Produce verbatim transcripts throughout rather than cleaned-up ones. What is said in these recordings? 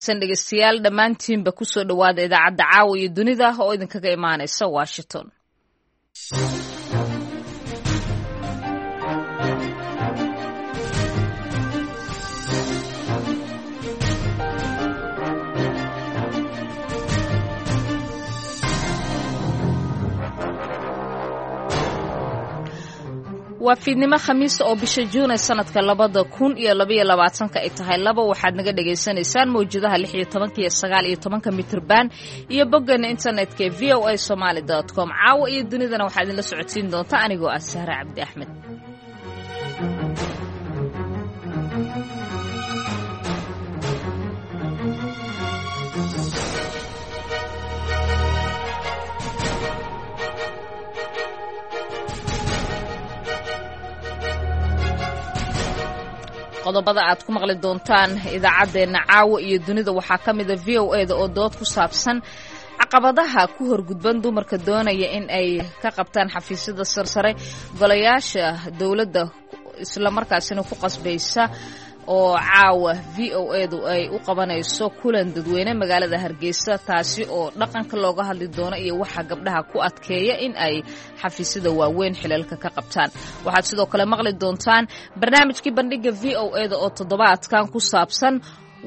Dhegeystayaal, dhammaantiinba kusoo dhowaada idaacadda Caawa iyo Dunida oo idinkaga imaanaysa Washington. Waa fiidnimo Khamiisa oo bisha Juun ee sanadka labada kun iyo labaiyo labaatanka ay tahay laba. Waxaad naga dhagaysanaysaan mawjadaha lix iyo tobanka iyo sagaal iyo tobanka mitrban iyo boggana internetka ee v o a somaali dot com. Caawa iyo Dunidana waxaa idinla socodsiin doonta anigoo ah Sahre Cabdi Axmed. Qodobada aad ku maqli doontaan idaacaddeenna Caawa iyo Dunida waxaa ka mida v o e da oo dood ku saabsan caqabadaha ku horgudban dumarka doonaya in ay ka qabtaan xafiisyada sarsare golayaasha dowladda, islamarkaasina ku qasbaysa, oo caawa v o e du ay u qabanayso kulan dadweyne magaalada Hargeysa, taasi oo dhaqanka looga hadli doono iyo waxa gabdhaha ku adkeeya in ay xafiisyada waaweyn xilalka ka qabtaan. Waxaad sidoo kale maqli doontaan barnaamijkii Bandhiga v o e da oo toddobaadkan ku saabsan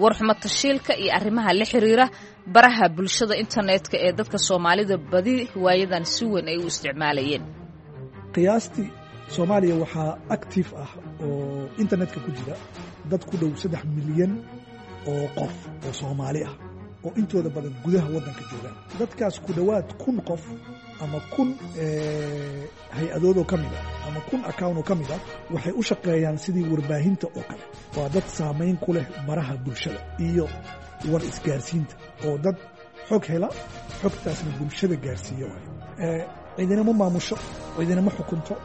warxumo tashiilka iyo arrimaha la xiriira baraha bulshada internetka ee dadka Soomaalida badi waayadan si weyn ay u isticmaalayeen. Qiyaastii Soomaaliya waxaa active ah oo internetka ku jira dad ku dhow saddex milyan oo qof oo Soomaali ah oo intooda badan gudaha waddanka joogaan. Dadkaas ku dhowaad kun qof ama kun hay-adoodoo ka mid ah ama kun account oo ka mid ah waxay u shaqeeyaan sidii warbaahinta oo kale. Waa dad saamayn ku leh baraha bulshada iyo war isgaarsiinta, oo dad xog hela, xogtaasna bulshada gaarsiiya waayo. Cidina ma maamusho, cidina ma xukunto.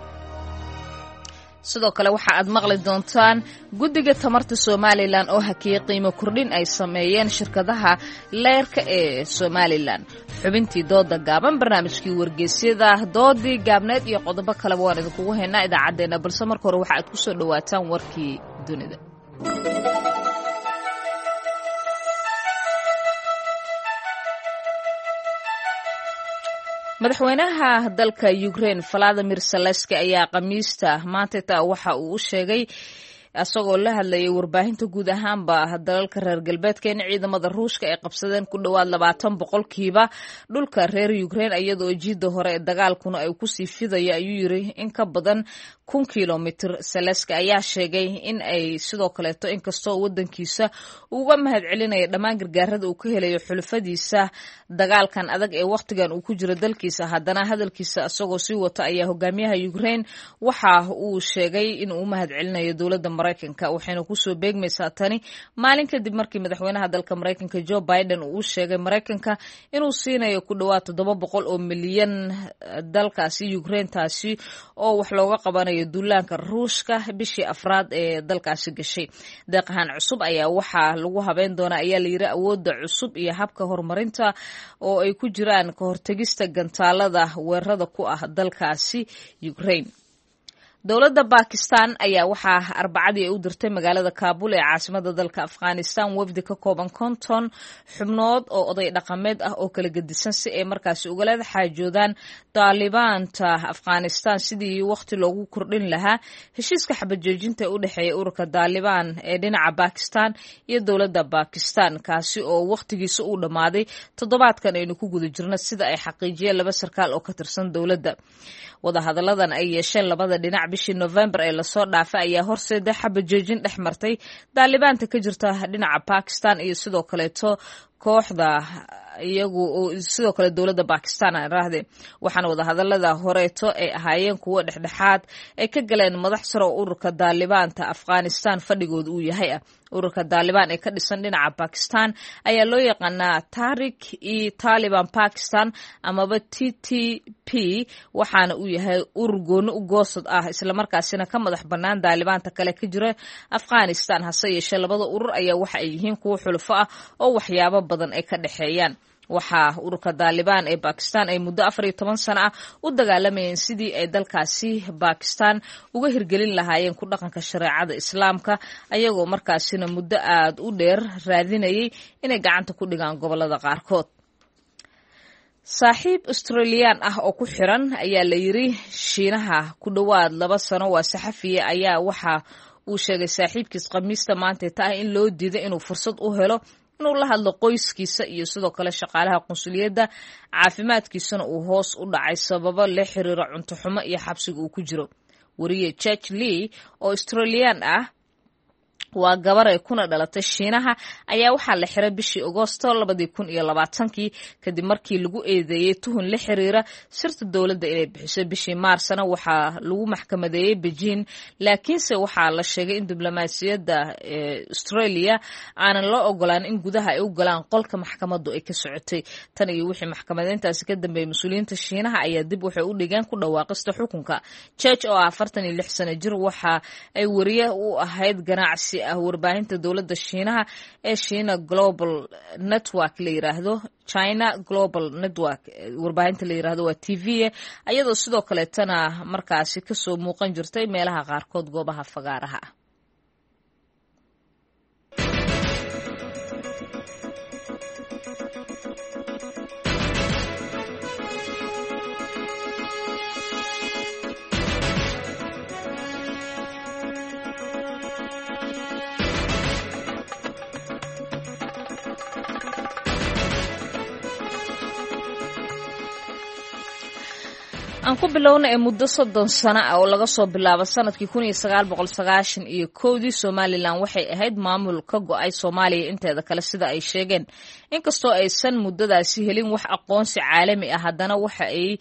Sidoo kale waxa aad maqli doontaan guddiga tamarta Somalilan oo hakiyey qiimo kordhin ay sameeyeen shirkadaha leerka ee Somalilan, xubintii dooda gaaban, barnaamijkii wargeysyada, doodii gaabneed iyo qodobo kaleba waan idinkugu haynaa idaacaddeenna, balse marka hore waxa aad ku soo dhowaataan warkii dunida. Madaxweynaha dalka Ukraine Valadimir Zelenski ayaa Khamiista maantata waxa uu u sheegay, isagoo la hadlayay warbaahinta guud ahaanba dalalka reer galbeedka, in ciidamada Ruushka ay qabsadeen ku dhowaad labaatan boqolkiiba dhulka reer Ukraine, iyadoo jiida hore ee dagaalkuna ay kusii fidayo, ayuu yiri, in ka badan kun kilomitr. Zelenski ayaa sheegay in ay sidoo kaleeto, inkastoo wadankiisa uga mahad celinaya dhammaan gargaarada uu ka helayo xulufadiisa dagaalkan adag ee wakhtigan uu ku jiro dalkiisa, haddana hadalkiisa isagoo sii wata ayaa hogaamiyaha Ukraine waxa uu sheegay in uu u mahad celinayo dowladda Maraykanka. Waxayna kusoo beegmaysaa tani maalin kadib markii madaxweynaha dalka Maraykanka Joe Biden uu u sheegay Maraykanka inuu siinayo ku dhowaad toddoba boqol oo milyan dalkaasi Ukraine, taasi oo wax looga qabanayo duulaanka Ruushka bishii afraad ee dalkaasi gashay. Deeqahan cusub ayaa waxaa lagu habeyn doonaa, ayaa layiri, awoodda cusub iyo habka horumarinta oo ay ku jiraan ka hortegista gantaalada weerarada ku ah dalkaasi Ukraine. Dowladda Bakistan ayaa waxaa Arbacadii ay u dirtay magaalada Kaabul ee caasimada dalka Afghanistan wafdi ka kooban konton xubnood oo oday dhaqameed ah oo kala gedisan, si ay markaasi ugala xaajoodaan Daalibaanta Afghanistan sidii wakhti loogu kordhin lahaa heshiiska xabajoojinta ee u dhexeeya ururka Daalibaan ee dhinaca Bakistan iyo dowladda Bakistan, kaasi oo wakhtigiisa uu dhammaaday toddobaadkan aynu ku guda jirno, sida ay xaqiijiyeen laba sarkaal oo ka tirsan dowladda. Wadahadalladan ay yeesheen labada dhinac bishii Novembar ee lasoo dhaafay ayaa horseeda xabajoojin dhex martay Daalibaanta ka jirta dhinaca Bakistan iyo sidoo kaleeto kooxda iyagu, sidoo kale dowladda Bakistan aan raahde. Waxaana wadahadalada horeeto ay ahaayeen kuwo dhexdhexaad ay ka galeen madax sare oo ururka Daalibaanta Afghanistan fadhigooda uu yahay ah. Ururka Daalibaan ee ka dhisan dhinaca Bakistan ayaa loo yaqaanaa Tarik e Taliban Pakistan amaba T T P, waxaana uu yahay urur gooni u goosad ah, islamarkaasina ka madax bannaan Daalibaanta kale ka jira Afghanistan. Hase yeeshee labada urur ayaa waxa ay yihiin kuwo xulufo ah oo waxyaabo badan ay ka dhexeeyaan. Waxaa ururka Daalibaan ee Bakistan ay muddo afar iyo toban sano ah u dagaalamayeen sidii ay dalkaasi Bakistan uga hirgelin lahaayeen ku dhaqanka shareecada Islaamka, ayagoo markaasina muddo aad u dheer raadinayay inay gacanta ku dhigaan gobolada qaarkood. Saaxiib Australiyaan ah oo ku xiran ayaa la yiri Shiinaha ku dhowaad laba sano waa saxafiya ayaa waxa uu sheegay saaxiibkiis Khamiista maanta ta ah in loo diiday inuu fursad u helo inuu la hadlo qoyskiisa iyo sidoo kale shaqaalaha qunsuliyadda, caafimaadkiisana uu hoos u dhacay sababo la xiriira cunto xumo iyo xabsiga uu ku jiro. Wariye Church Lee oo Australiyaan ah, waa gabaray kuna dhalatay Shiinaha, ayaa waxaa la xiray bishii Agoosto labadii kun iyo labaatankii kadib markii lagu eedeeyey tuhun la xiriira sirta dowladda inay bixiso. Bishii Maarsna waxaa lagu maxkamadeeyey Beijing, laakiinse waxaa la sheegay in diblomaasiyadda Australia aanan loo ogolaan in gudaha ay u galaan qolka maxkamaddu ay ka socotay. Tan iyo wixii maxkamadeyntaasi ka dambeeyey, mas-uuliyiinta Shiinaha ayaa dib waxay u dhigeen ku dhawaaqista xukunka. Church oo ah afartan iyo lix sano jir waxa ay wariye u ahayd ganacsi ah warbaahinta dowladda Shiinaha ee China Global Network la yiraahdo, China Global Network warbaahinta la yiraahdo, waa T V, ayadoo sidoo kaleetana markaasi kasoo muuqan jirtay meelaha qaarkood goobaha fagaaraha ah. Aan ku bilowna ee muddo soddon sano ah oo laga soo bilaabo sanadkii kun iyo sagaal boqol sagaashan iyo kowdii, Somalilan waxay ahayd maamul ka go-ay Soomaaliya inteeda kale, sida ay sheegeen. Inkastoo aysan muddadaasi helin wax aqoonsi caalami ah, haddana waxa ay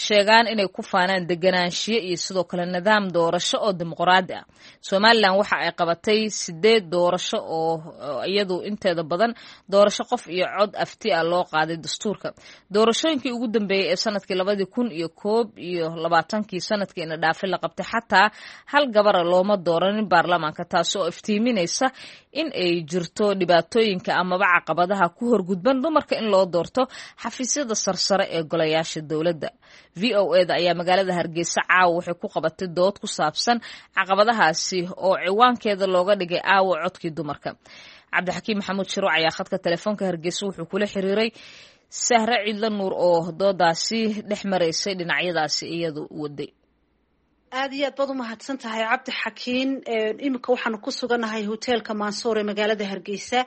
sheegaan inay ku faanaan deganaanshiyo iyo sidoo kale nidaam doorasho oo dimuqraadi ah. Somalilan waxa ay qabatay sideed doorasho oo iyadu inteeda badan doorasho qof iyo cod afti ah loo qaaday dastuurka. Doorashooyinkii ugu dambeeyey ee sanadkii labadii kun iyo koob iyo labaatankii, sanadkiina dhaafay, la qabtay, xataa hal gabara looma dooranin baarlamaanka, taasi oo iftiiminaysa in ay jirto dhibaatooyinka amaba caqabadaha ku horgudban dumarka in loo doorto xafiisyada sarsare ee golayaasha dowladda. V O E da ayaa magaalada Hargeysa caawa waxay ku qabatay dood ku saabsan caqabadahaasi oo ciwaankeeda looga dhigay aawa codkii dumarka. Cabdixakiim Maxamuud Shiruuc ayaa khadka telefoonka Hargeysa wuxuu kula xiriiray Sahre Ciidla Nuur oo doodaasi dhex maraysay dhinacyadaasi iyadu waday. Aad iyo aad baad umahadsan tahay, Cabdi Xakiin. Iminka waxaanu ku sugannahay hoteelka Mansour ee magaalada Hargeysa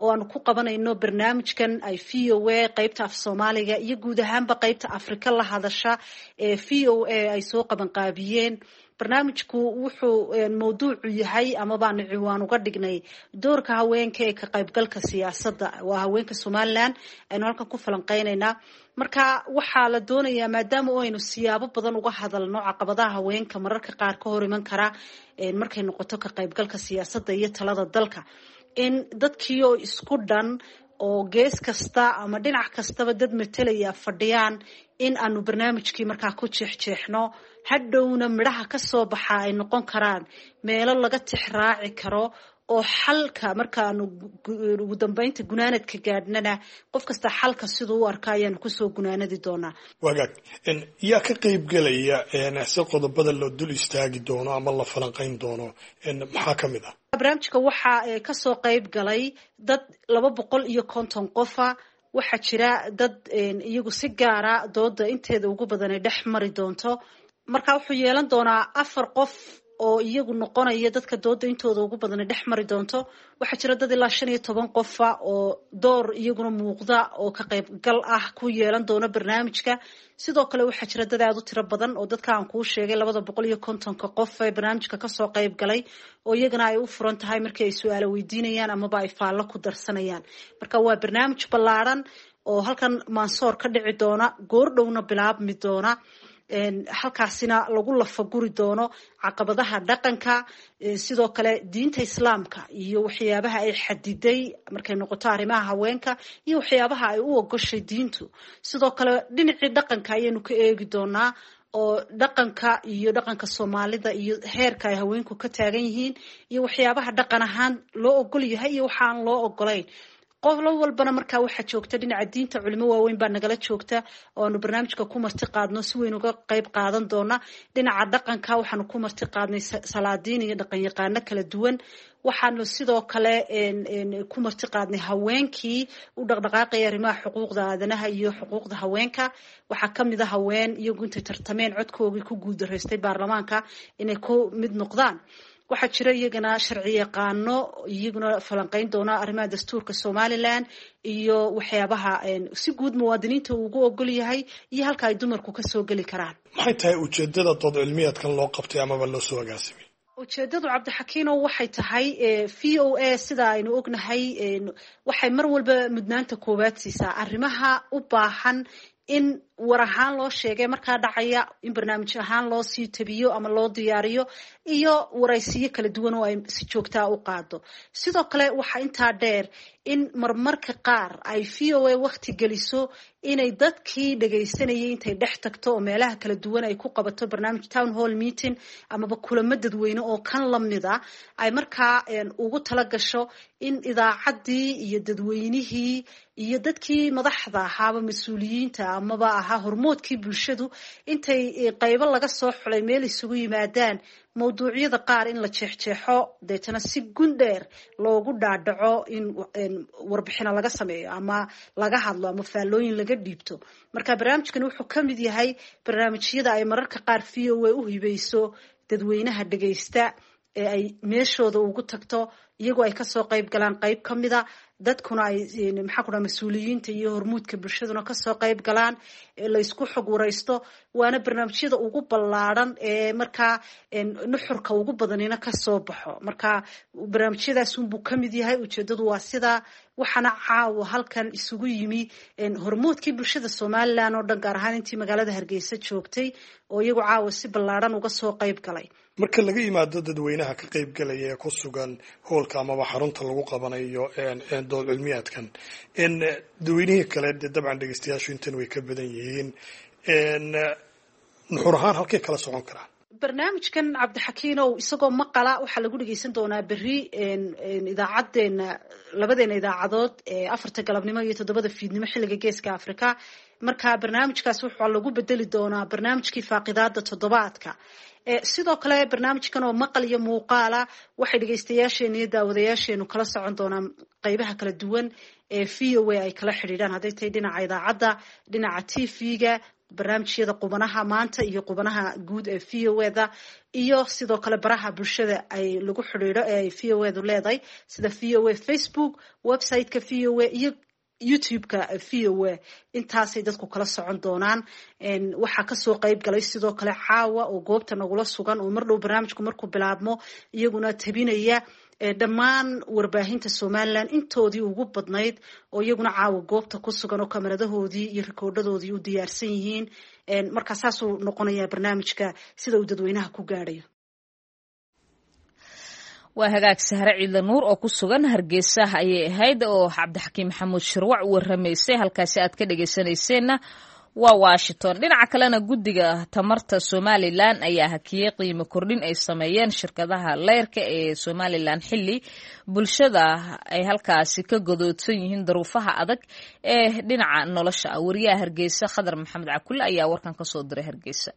oo aanu ku qabanayno barnaamijkan ay V O A qeybta af Soomaaliga iyo guud ahaanba qeybta Afrika la hadasha ee V O A ay soo qabanqaabiyeen. Barnaamijku wuxuu mawduucu yahay ama baanu ciwaan uga dhignay doorka haweenka ee ka qaybgalka siyaasadda. Waa haweenka Somaliland aynu halkan ku falanqeynaynaa. Marka waxaa la doonayaa, maadaama oo aynu siyaabo badan uga hadalno caqabadaha haweenka mararka qaar ka hor iman kara markay noqoto ka qaybgalka siyaasadda iyo talada dalka, in dadkii oo isku dhan oo gees kasta ama dhinac kastaba dad matalaya fadhiyaan, in aanu barnaamijkii markaa ku jeexjeexno, hadhowna midhaha ka soo baxa ay noqon karaan meelo laga tixraaci karo oo xalka markaanu ugu dambeynta gunaanadka gaadhnana qof kasta xalka siduu u arka ayaanu kusoo gunaanadi doonaa. Wagaag, yaa ka qeyb gelaya si qodobada loo dul istaagi doono ama la falanqeyn doono maxaa ka mid ah? Barnaamijka waxaa kasoo qeyb galay dad laba boqol iyo konton qofa. Waxaa jira dad iyagu si gaara dooda inteeda ugu badan ay dhex mari doonto. Marka wuxuu yeelan doonaa afar qof oo iyagu noqonaya dadka dooda intooda ugu badan ay dhex mari doonto. Waxaa jira dad ilaa shan iyo toban qofa oo door iyaguna muuqda oo ka qaybgal ah ku yeelan doona barnaamijka. Sidoo kale waxaa jira dad aada u tiro badan oo dadka aan kuu sheegay labada boqol iyo kontonka qof ee barnaamijka kasoo qayb galay oo iyagana ay u furan tahay markii ay su-aalo weydiinayaan amaba ay faallo ku darsanayaan. Marka waa barnaamij ballaadhan oo halkan Mansoor ka dhici doona, goordhowna bilaabmi doona, halkaasina lagu lafaguri doono caqabadaha dhaqanka, sidoo kale diinta Islaamka iyo waxyaabaha ay xadiday markay noqoto arrimaha haweenka iyo waxyaabaha ay u ogoshay diintu. Sidoo kale dhinacii dhaqanka ayaynu ka eegi doonaa oo dhaqanka iyo dhaqanka Soomaalida iyo heerka ay haweenku ka taagan yihiin iyo waxyaabaha dhaqan ahaan loo ogol yahay iyo waxaan loo ogolayn. Qolo walbana markaa waxaa joogta dhinaca diinta culimo waaweyn baa nagala joogta oo aanu barnaamijka ku marti qaadno, si weyn uga qayb qaadan doona. Dhinaca dhaqanka waxaanu ku marti qaadnay salaadiin iyo dhaqanyaqaano kala duwan. Waxaanu sidoo kale ku marti qaadnay haweenkii u dhaqdhaqaaqaya arrimaha xuquuqda aadanaha iyo xuquuqda haweenka. Waxaa kamid a haween iyagu intay tartameen codkoogii ku guuldaraystay baarlamaanka inay ku mid noqdaan. Waxaa jira iyagana sharci yaqaano iyaguna falanqeyn doona arrimaha dastuurka Somaliland iyo waxyaabaha si guud muwaadiniinta uu ugu ogol yahay iyo halka ay dumarku kasoo geli karaan. Maxay tahay ujeedada dood cilmiyeedkan loo qabtay amaba loo soo agaasimay? Ujeedadu, Cabdixakiino, waxay tahay V O A sida aynu ognahay waxay mar walba mudnaanta koowaad siisaa arrimaha u baahan in war ahaan loo sheegay markaa dhacaya, in barnaamij ahaan loo sii tabiyo ama loo diyaariyo, iyo waraysiyo kala duwan oo ay si joogtaa u qaado. Sidoo kale waxaa intaa dheer in marmarka qaar ay V O A wakti geliso inay dadkii dhagaysanayay intay dhex tagto oo meelaha kala duwan ay ku qabato barnaamij town hall meeting amaba kulamo dadweyne oo kan lamid a, ay markaa ugu tala gasho in idaacaddii iyo dadweynihii iyo dadkii madaxda ahaaba, mas-uuliyiinta amaba ahaa hormoodkii bulshadu, intay qaybo laga soo xulay meel isugu yimaadaan, mawduucyada qaar in la jeexjeexo, deetana si gundheer loogu dhaadhaco, in warbixino laga sameeyo ama laga hadlo ama faallooyin laga dhiibto. Marka barnaamijkani wuxuu ka mid yahay barnaamijyada ay mararka qaar V O A u hibeyso dadweynaha dhagaysta ee ay meeshooda ugu tagto, iyagoo ay kasoo qayb galaan qayb ka mida dadkuna, ay maxaa ku dhaha mas-uuliyiinta iyo hormuudka bulshaduna kasoo qayb galaan, laysku xog waraysto. Waana barnaamijyada ugu ballaadhan ee markaa nuxurka ugu badanina kasoo baxo. Marka barnaamijyadaas unbuu ka mid yahay. Ujeedadu waa sidaa. Waxaana caawa halkan isugu yimi hormuudkii bulshada Somaliland oo dhan, gaar ahaan intii magaalada Hargeysa joogtay oo iyagu caawa si ballaadhan uga soo qayb galay. Marka laga yimaado dadweynaha ka qayb galaya ee ku sugan hoolka amaba xarunta lagu qabanayo dood cilmiyaadkan, dadweynihii kale dee dabcan dhegeystayaashu intan way ka badan yihiin, nuxur ahaan halkay kala socon karaan? Barnaamijkan, Cabdixakiinow, isagoo maqala waxaa lagu dhegeysan doonaa berri idaacadeena, labadeena idaacadood ee afarta galabnimo iyo toddobada fiidnimo xilliga Geeska Africa. Marka barnaamijkaas waxaa lagu bedeli doonaa barnaamijkii faaqidaada toddobaadka. Sidoo kale barnaamijkan oo maqal iyo muuqaala waxay dhegeystayaasheena iyo daawadayaasheenu kala socon doonaan qeybaha kala duwan ee V O A ay kala xidhiidhaan, hadday tahay dhinaca idaacadda, dhinaca T V-ga, barnaamijyada qubanaha maanta iyo qubanaha guud ee V O A da, iyo sidoo kale baraha bulshada ay lagu xidhiidho ee ay V O A du leedahay, sida V O A Facebook, website-ka V O A iyo YouTube-ka V O A. Intaasay dadku kala socon doonaan. Waxaa kasoo qayb galay sidoo kale caawa oo goobta nagula sugan oo mar dhow barnaamijku markuu bilaabmo iyaguna tabinaya dhammaan warbaahinta Somaliland intoodii ugu badnayd oo iyaguna caawa goobta ku sugan oo kamaradahoodii iyo rikoodhadoodii u diyaarsan yihiin. Markaa saasuu noqonayaa barnaamijka sida uu dadweynaha ku gaadhayo. Waa hagaag. Sahre Ciidla Nuur oo ku sugan Hargeysa ayay ahayd oo Cabdixakiim Maxamuud Shirwac u waramaysay. Halkaasi aad ka dhegeysanayseena waa Washington. Dhinaca kalena, guddiga tamarta Somaliland ayaa hakiyey qiimo kordhin ay sameeyeen shirkadaha leyrka ee Somaliland, xilli bulshada ay halkaasi ka godoodsan yihiin daruufaha adag ee dhinaca nolosha ah. Wariyaha Hargeysa, Khadar Maxamed Cakulle, ayaa warkan kasoo diray Hargeysa.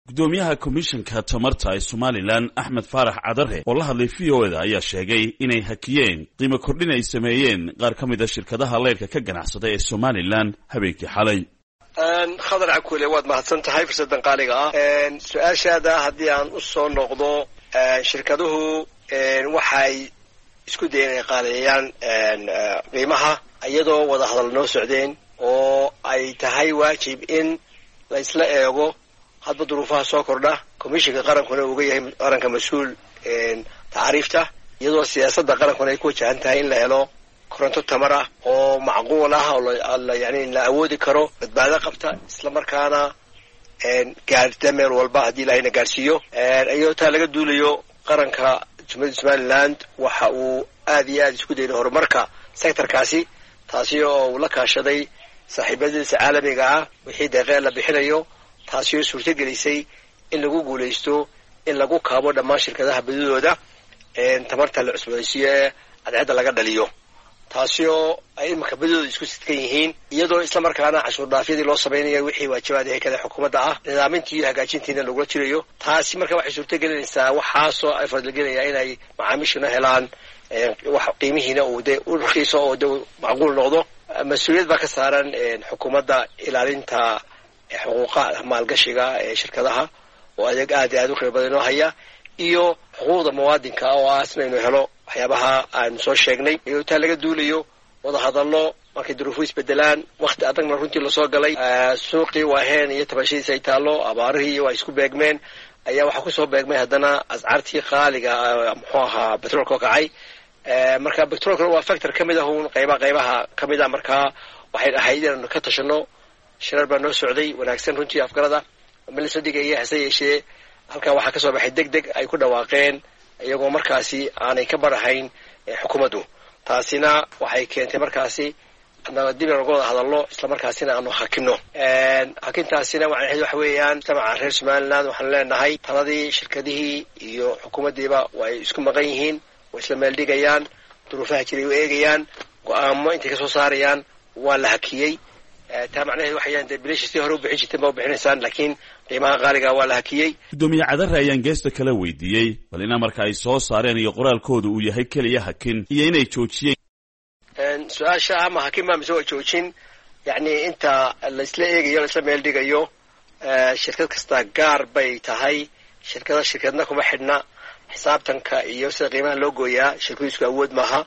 Gudoomiyaha komishanka tamarta ee Somaliland, Axmed Faarax Cadare, oo la hadlay V O da ayaa sheegay inay hakiyeen qiimo kordhin ay sameeyeen qaar ka mid a shirkadaha leyrka ka ganacsada ee Somaliland habeenkii xalay. Khadar Cakule, waad mahadsan tahay fursaddan qaaliga ah. Su-aashaada haddii aan u soo noqdo, shirkaduhu waxay isku dayeen inay qaaleeyaan qiimaha iyadoo wada hadal noo socdeen oo ay tahay waajib in la isla eego hadba duruufaha soo kordha, komishinka qarankuna uga yahay qaranka mas-uul tacriifta, iyadoo siyaasadda qarankuna ay ku wajahan tahay in la helo koronto tamar ah oo macquul ah oo yani la awoodi karo, badbaado qabta, isla markaana gaadhta meel walba haddii Ilaahayna gaadhsiiyo. Iyadoo taa laga duulayo, qaranka Jumhuuriyadda Somaliland waxa uu aad iyo aad isku dayday horumarka sectorkaasi, taasi oo uu la kaashaday saaxiibadiisa caalamiga ah wixii deeqee la bixinayo, taasi oo suurto gelisay in lagu guulaysto in lagu kaabo dhammaan shirkadaha badidooda. Tamarta la cusboonaysiiyo ee cadceedda laga dhaliyo, taasi oo ay imanka badidooda isku sidkan yihiin, iyadoo islamarkaana cashuur dhaafyadii loo samaynayo wixii waajibaad ee kale xukuumadda ah, nidaamintii iyo hagaajintiina lagula jirayo. Taasi marka waxay suurtagelinaysaa, waxaasoo ay fadligelinaya inay macaamiishuna helaan wax qiimihiina uu dee u rakiiso oo de macquul noqdo. Mas-uuliyad baa ka saaran xukuumadda ilaalinta xuquuqa maalgashiga ee shirkadaha oo adeeg aad iyo aad u qiimo badan inoo haya, iyo xuquuqda muwaadinka oo ah isna inuu helo waxyaabaha aanu soo sheegnay. Iyo taa laga duulayo wadahadallo markay duruufu isbedelaan, wakti adagna runtii lasoo galay, suuqii waaheen iyo tabashadiisa ay taallo, abaarihii iyo ay isku beegmeen, ayaa waxaa kusoo beegmay haddana ascaartii qaaliga, muxuu ahaa, betroolka oo kacay. Marka betroolkana waa factor ka mid ah uun qayba qaybaha ka mid ah. Markaa waxay ahayd inaanu ka tashano. Shirar baa noo socday wanaagsan runtii, afgarada ma lasoo dhigaya, hase yeeshee halkaa waxaa kasoo baxay deg deg ay ku dhawaaqeen iyagoo markaasi aanay ka barahayn xukuumaddu. Taasina waxay keentay markaasi dib inaan uga wada hadalno, islamarkaasina aanu hakino. Hakintaasina macnaheed waxa weeyaan mujtamaca reer Somaliland waxaanu leenahay taladii shirkadihii iyo xukuumaddiiba way isku maqan yihiin, way isla meel dhigayaan, duruufaha jiray u eegayaan, go-aamo intay kasoo saarayaan waa la hakiyey. Taa macnaheed waxayaan dee bilashi si hore u bixin jirteen ba u bixinaysaan, laakiin qiimaha qaaliga waa la hakiyey. Guddoomiye Cadare ayaan geesta kala weydiiyey bal in amarka ay soo saareen iyo qoraalkooda uu yahay keliya hakin iyo inay joojiyeen. Su-aasha ama hakin baa mise waa joojin, yacni inta laisla eegayo, laisla meel dhigayo, shirkad kasta gaar bay tahay. Shirkada shirkadna kuma xidhna xisaabtanka iyo sida qiimaha loo gooyaa. Shirkadu isku awood maaha,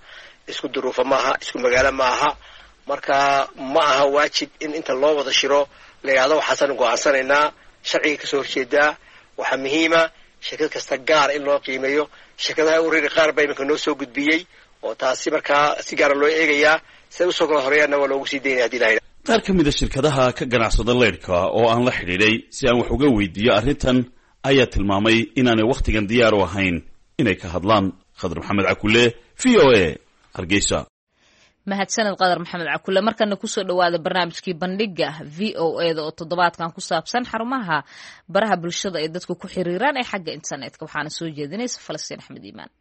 isku duruufo maaha, isku magaalo maaha. Marka ma aha waajib in inta loo wada shiro la yidhahdo waxaasaan go-aansanaynaa. Sharciga kasoo horjeedaa. Waxaa muhiima shirkad kasta gaar in loo qiimeeyo. Shirkadaha uriri qaar baa iminka noo soo gudbiyey oo taasi markaa si gaara loo eegayaa, siday usoo kala horeeyaanna waa loogu sii daynaya hadii la yidhahdo. Qaar ka mid a shirkadaha ka ganacsada leydhka oo aan la xidhiidhay si aan wax uga weydiiyo arrintan ayaa tilmaamay inaanay wakhtigan diyaar u ahayn inay ka hadlaan. Khadar Maxamed Cakule, V O A, Hargeysa. Mahadsaned Qadar Maxamed Cakule. Markana kusoo dhawaada barnaamijkii bandhiga V O E da oo toddobaadkan ku saabsan xarumaha baraha bulshada ay dadku ku xiriiraan ee xagga internetka, waxaana soo jeedinaysa Falastiin Axmed Iimaan.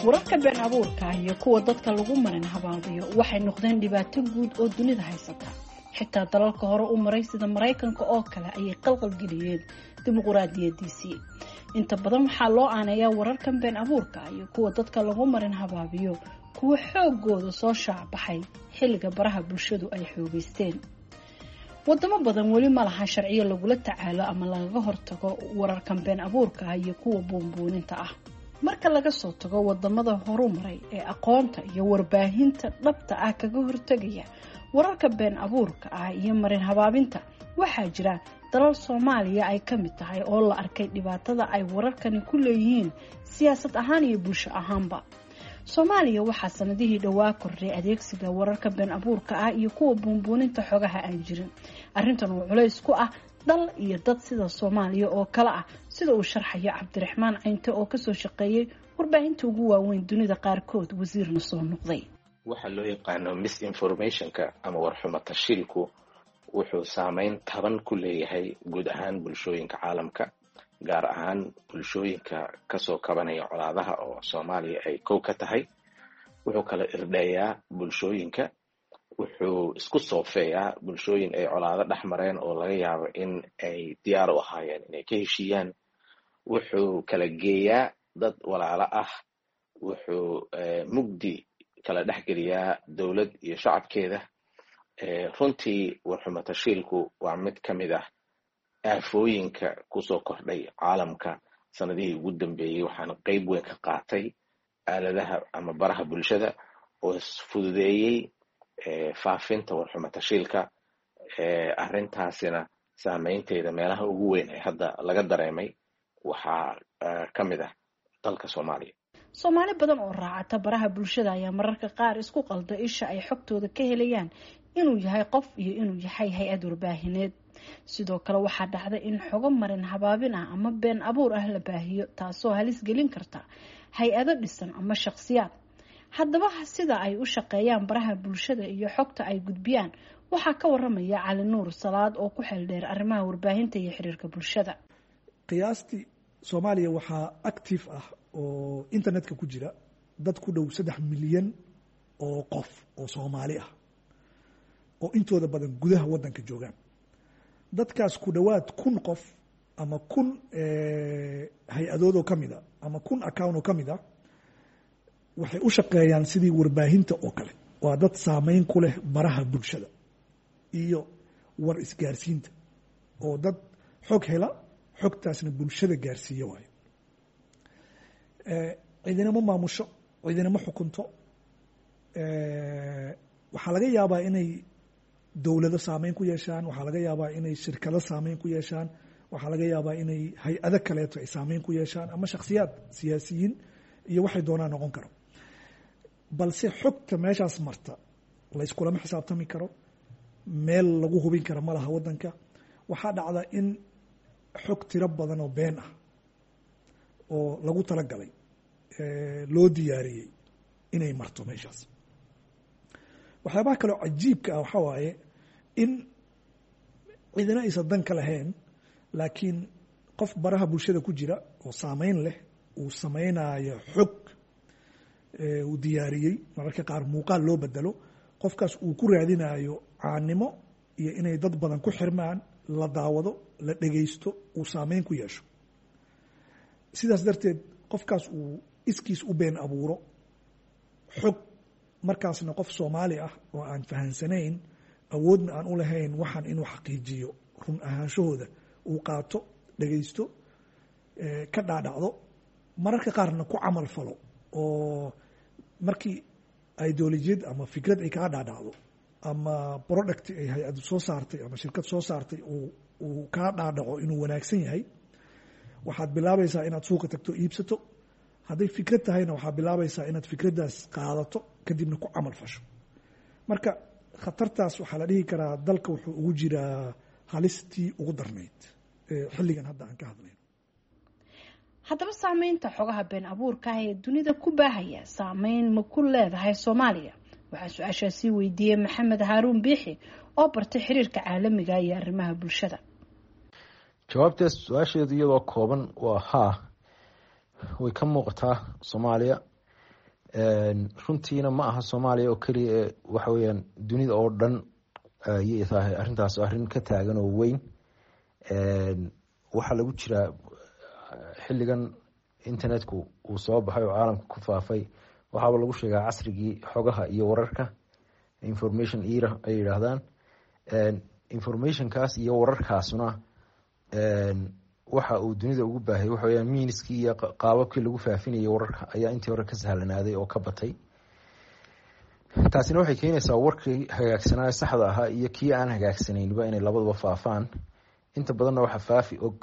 Wararka been abuurka ah iyo kuwa dadka lagu marin habaabiyo waxay noqdeen dhibaato guud oo dunida haysata. Xitaa dalalka hore u maray sida Maraykanka oo kale ayay qalqalgeliyeen dimuquraadiyadiisii. Inta badan waxaa loo aaneeyaa wararkan been abuurka ah iyo kuwa dadka lagu marin habaabiyo kuwa xoogooda soo shaacbaxay xilliga baraha bulshadu ay xoogeysteen. Wadamo badan weli ma laha sharciyo lagula tacaalo ama lagaga hortago wararkan been abuurka ah iyo kuwa buunbuuninta ah. Marka laga soo tago wadamada horumaray ee aqoonta iyo warbaahinta dhabta ah kaga hortagaya wararka been abuurka ah iyo marin habaabinta, waxaa jira dalal Soomaaliya ay ka mid tahay oo la arkay dhibaatada ay wararkani ku leeyihiin siyaasad ahaan iyo bulsho ahaanba. Soomaaliya waxaa sanadihii dhowaa kordhay adeegsiga wararka been abuurka ah iyo kuwa buunbuuninta xogaha aan jirin. Arrintan oo culays ku ah dal iyo dad sida Soomaaliya oo kale ah, sida uu sharxayo Cabdiraxmaan Caynte oo kasoo shaqeeyay warbaahinta ugu waaweyn dunida qaarkood, wasiirna soo noqday. Waxa loo yaqaano misinformationka ama warxumo tashiilku wuxuu saameyn taban ku leeyahay guud ahaan bulshooyinka caalamka, gaar ahaan bulshooyinka kasoo kabanaya colaadaha oo Soomaaliya ay kow ka tahay. Wuxuu kala irdheeyaa bulshooyinka, wuxuu isku soofeeyaa bulshooyin ay colaado dhex mareen oo laga yaabo in ay diyaar u ahaayeen inay ka heshiiyaan. Wuxuu kala geeyaa dad walaalo ah, wuxuu mugdi kala dhexgeliyaa dowlad iyo shacabkeeda. Runtii warxumo tashiilku waa mid ka mid ah aafooyinka kusoo kordhay caalamka sanadihii ugu dambeeyey, waxaana qeyb weyn ka qaatay aaladaha ama baraha bulshada oo fududeeyey faafinta warxumo tashiilka. Arrintaasina saameynteeda meelaha ugu weyn ee hadda laga dareemay waxaa ka mid ah dalka Soomaaliya. Soomaali badan oo raacata baraha bulshada ayaa mararka qaar isku qalda isha ay xogtooda ka helayaan inuu yahay qof iyo inuu yahay hay-ad warbaahineed. Sidoo kale waxaa dhacda in xogo marin habaabin ah ama been abuur ah la baahiyo, taasoo halis gelin karta hay-ado dhisan ama shakhsiyaad. Haddaba sida ay u shaqeeyaan baraha bulshada iyo xogta ay gudbiyaan waxaa ka waramaya Cali Nuur Salaad oo ku xeeldheer arrimaha warbaahinta iyo xiriirka bulshada. Qiyaastii Soomaaliya waxaa active ah oo internetka ku jira dad ku dhow saddex milyan oo qof oo Soomaali ah oo intooda badan gudaha waddanka joogaan. Dadkaas ku dhowaad kun qof ama kun hay-adoodoo ka mid a ama kun account oo ka mid a waxay u shaqeeyaan sidii warbaahinta oo kale. Waa dad saameyn ku leh baraha bulshada iyo war isgaarsiinta, oo dad xog hela, xogtaasna bulshada gaarsiiya waayo. Cidina ma maamusho, cidina ma xukunto. Waxaa laga yaabaa inay dowlado saameyn ku yeeshaan, waxaa laga yaabaa inay shirkado saameyn ku yeeshaan, waxaa laga yaabaa inay hay-ado kaleeto ay saameyn ku yeeshaan, ama shakhsiyaad siyaasiyiin iyo waxay doonaan noqon karo. Balse xogta meeshaas marta layskulama xisaabtami karo, meel lagu hubin kara ma laha waddanka. Waxaa dhacda in xog tiro badan oo been ah oo lagu talagalay loo diyaariyey inay marto meeshaas. Waxyaabaha kaleo cajiibka ah waxaa waaye in cidina aysan dan ka lahayn, laakiin qof baraha bulshada ku jira oo saameyn leh uu sameynaayo xog uu diyaariyey, mararka qaar muuqaal loo bedelo, qofkaas uu ku raadinayo caanimo iyo inay dad badan ku xirmaan, la daawado, la dhegaysto, uu saameyn ku yeesho. Sidaas darteed qofkaas uu iskiis u been abuuro xog, markaasna qof Soomaali ah oo aan fahansanayn, awoodna aan u lahayn waxaan inuu xaqiijiyo run ahaanshahooda, uu qaato, dhegaysto, ka dhaadhacdo, mararka qaarna ku camal falo. Oo markii ideolojiyad ama fikrad ay kaa dhaadhacdo ama product ay hay-adu soo saartay ama shirkad soo saartay uu kaa dhaadhaco inuu wanaagsan yahay, waxaad bilaabaysaa inaad suuqa tagto, iibsato. Hadday fikrad tahayna waxaad bilaabaysaa inaad fikraddaas qaadato, kadibna ku camal fasho. Marka khatartaas waxaa la dhihi karaa dalka wuxuu ugu jiraa halistii ugu darnayd xilligan hadda aan ka hadlayno. Haddaba saameynta xogaha been abuurka ah ee dunida ku baahaya saameyn ma ku leedahay Soomaaliya? Waxaa su-aashaasi weydiiyey Maxamed Haaruun Biixi oo bartay xiriirka caalamiga iyo arrimaha bulshada. Jawaabtaas su-aasheedu iyadoo kooban waa haa, way ka muuqataa Soomaaliya. Runtiina ma aha Soomaaliya oo keliya ee waxa weyaan dunida oo dhan ayay tahay arrintaas arrin ka taagan oo weyn. Waxaa lagu jiraa xilligan internetku uu soo baxay oo caalamka ku faafay, waxaaba lagu sheegaa casrigii xogaha iyo wararka, information era ay yidhaahdaan. Informationkaas iyo wararkaasuna waxa uu dunida ugu baahayay waxa weyaan miiniskii iyo qaababkii lagu faafinayay wararka ayaa intii hore ka sahlanaaday oo ka batay. Taasina waxay keenaysaa warkii hagaagsanaa saxda ahaa iyo kii aan hagaagsanaynba inay labaduba faafaan. Inta badanna waxa faafi og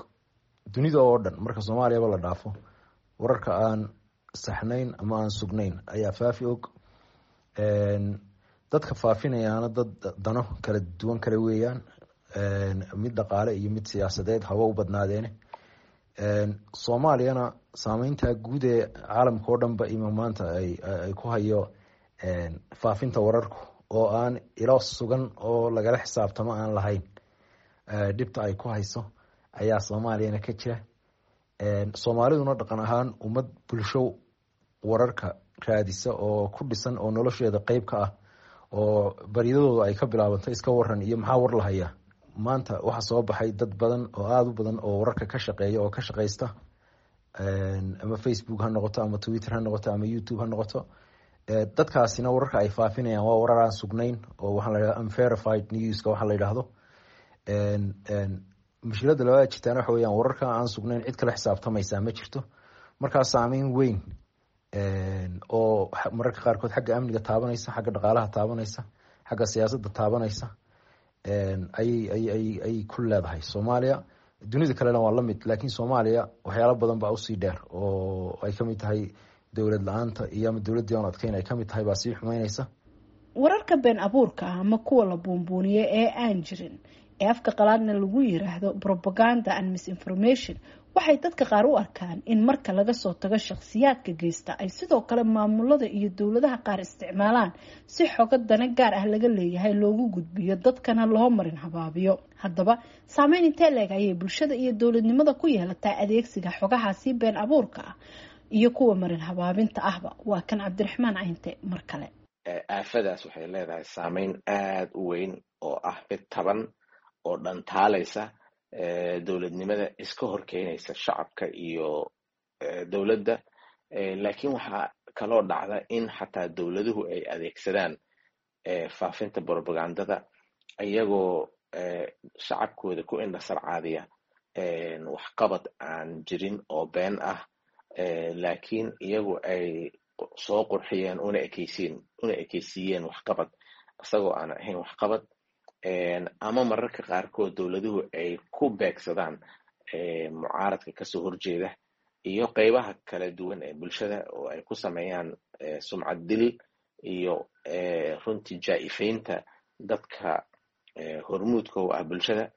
dunida oo dhan, marka Soomaaliyaba la dhaafo, wararka aan saxnayn ama aan sugnayn ayaa faafi og. Dadka faafinayaana dad dano kala duwan kale weeyaan, mid dhaqaale iyo mid siyaasadeed haba u badnaadeene. Soomaaliyana saameynta guud ee caalamka oo dhanba ima maanta ay ku hayo faafinta wararku oo aan ilo sugan oo lagala xisaabtamo aan lahayn, dhibta ay ku hayso ayaa Soomaaliyana ka jira. Soomaaliduna dhaqan ahaan ummad bulsho wararka raadisa oo ku dhisan oo nolosheeda qeyb ka ah oo baryadooda ay ka bilaabanto iska waran iyo maxaa war lahaya. Maanta waxaa soo baxay dad badan oo aada u badan oo wararka ka shaqeeya oo ka shaqeysta, ama Facebook ha noqoto ama Twitter ha noqoto ama YouTube ha noqoto. Dadkaasina wararka ay faafinayaan waa warar aan sugnayn oo waxaa la yidhahda unverified newska waxaa la yidhaahdo. Mushkiladda labaad jirtaana waxa weyaan wararka aan sugnayn cid kala xisaabtamaysaa ma jirto. Markaa saameyn weyn oo mararka qaarkood xagga amniga taabanaysa, xagga dhaqaalaha taabanaysa, xagga siyaasadda taabanaysa ayay ayay ay ku leedahay Soomaaliya. Dunida kalena waa lamid, laakiin Soomaaliya waxyaalo badan baa usii dheer oo ay kamid tahay dowlad la-aanta iyo ama dowladdii aan adkeyn ay kamid tahay baa sii xumeyneysa. Wararka been abuurka ah ama kuwa la buunbuuniyey ee aan jirin ee afka qalaadna lagu yiraahdo propaganda and misinformation waxay dadka qaar u arkaan in marka laga soo tago shakhsiyaadka geysta ay sidoo kale maamulada iyo dowladaha qaar isticmaalaan si xogo dana gaar ah laga leeyahay loogu gudbiyo, dadkana loo marin habaabiyo. Haddaba saameyn intee leeg ayay bulshada iyo dowladnimada ku yeelataa adeegsiga xogahaasi been abuurka ah iyo kuwa marin habaabinta ahba? Waa kan Cabdiraxmaan Cayinte mar kale. Aafadaas waxay leedahay saameyn aada u weyn oo ah mid taban oo dhantaalaysa dowladnimada, iska horkeynaysa shacabka iyo dowladda. Laakiin waxaa kaloo dhacda in xataa dowladuhu ay adeegsadaan faafinta propagandada iyagoo shacabkooda ku indhasarcaadiya waxqabad aan jirin oo been ah, laakiin iyagu ay soo qurxiyeen una ekeysiin una ekeysiiyeen waxqabad isagoo aan ahayn waxqabad. Ama mararka qaarkood dowladuhu ay ku beegsadaan mucaaradka kasoo horjeeda iyo qeybaha kala duwan ee bulshada oo ay ku sameeyaan sumcad dil iyo runtii jaa-ifeynta dadka hormuudka u ah bulshada.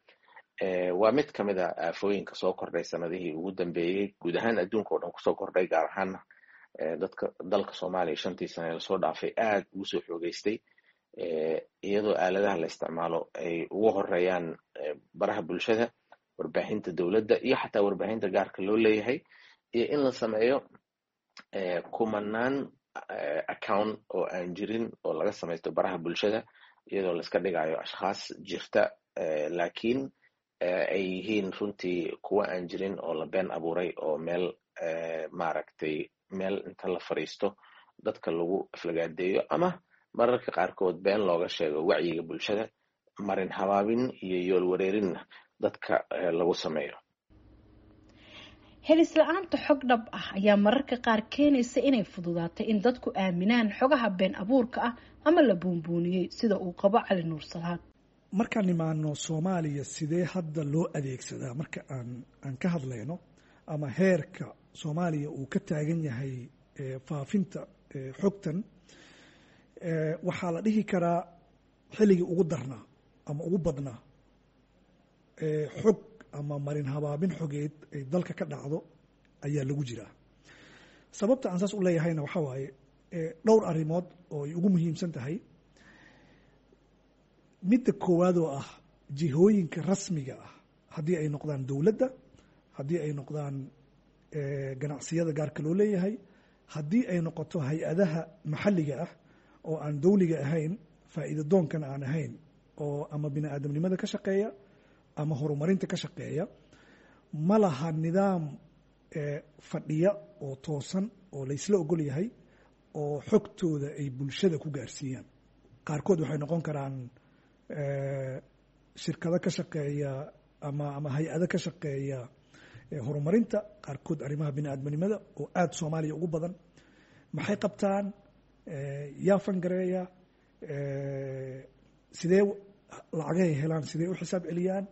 Waa mid ka mid a aafooyinka soo kordhay sanadihii ugu dambeeyey guud ahaan adduunka oo dhan kusoo kordhay, gaar ahaana dadka dalka Soomaaliya shantii sane lasoo dhaafay aada ugu soo xoogeystay, iyadoo aaladaha la isticmaalo ay ugu horeeyaan baraha bulshada, warbaahinta dowladda iyo xataa warbaahinta gaarka loo leeyahay, iyo in la sameeyo kumanaan account oo aan jirin oo laga samaysto baraha bulshada, iyadoo laiska dhigayo ashkhaas jirta laakiin ay yihiin runtii kuwa aan jirin oo la been abuuray oo meel maaragtay meel inta la fariisto dadka lagu aflagaadeeyo ama mararka qaarkood been looga sheego wacyiga bulshada, marin habaabin iyo yool wareerinna dadka lagu sameeyo. Helis la-aanta xog dhab ah ayaa mararka qaar keenaysa inay fududaato in dadku aaminaan xogaha been abuurka ah ama la buunbuuniyey, sida uu qabo Cali Nuur Salaad. Markaan imaano Soomaaliya, sidee hadda loo adeegsadaa marka aan aan ka hadlayno ama heerka Soomaaliya uu ka taagan yahay faafinta xogtan, waxaa la dhihi karaa xilligii ugu darnaa ama ugu badnaa xog ama marin habaabin xogeed ay dalka ka dhacdo ayaa lagu jiraa. Sababta aan saas u leeyahayna waxaa waaye dhowr arrimood oo ay ugu muhiimsan tahay. Midda koowaad oo ah jihooyinka rasmiga ah, haddii ay noqdaan dowladda, haddii ay noqdaan ganacsiyada gaarka loo leeyahay, haddii ay noqoto hay-adaha maxalliga ah oo aan dowliga ahayn, faa'iido doonkan aan ahayn, oo ama bini aadamnimada ka shaqeeya ama horumarinta ka shaqeeya, ma laha nidaam fadhiya oo toosan oo laysla ogol yahay oo xogtooda ay bulshada ku gaarsiiyaan. Qaarkood waxay noqon karaan shirkado ka shaqeeya ama ama hay-ado ka shaqeeya horumarinta, qaarkood arrimaha bini aadamnimada oo aada Soomaaliya ugu badan. Maxay qabtaan? Yaa fangareeya? Sidee lacagahay helaan? Sidee u xisaab celiyaan?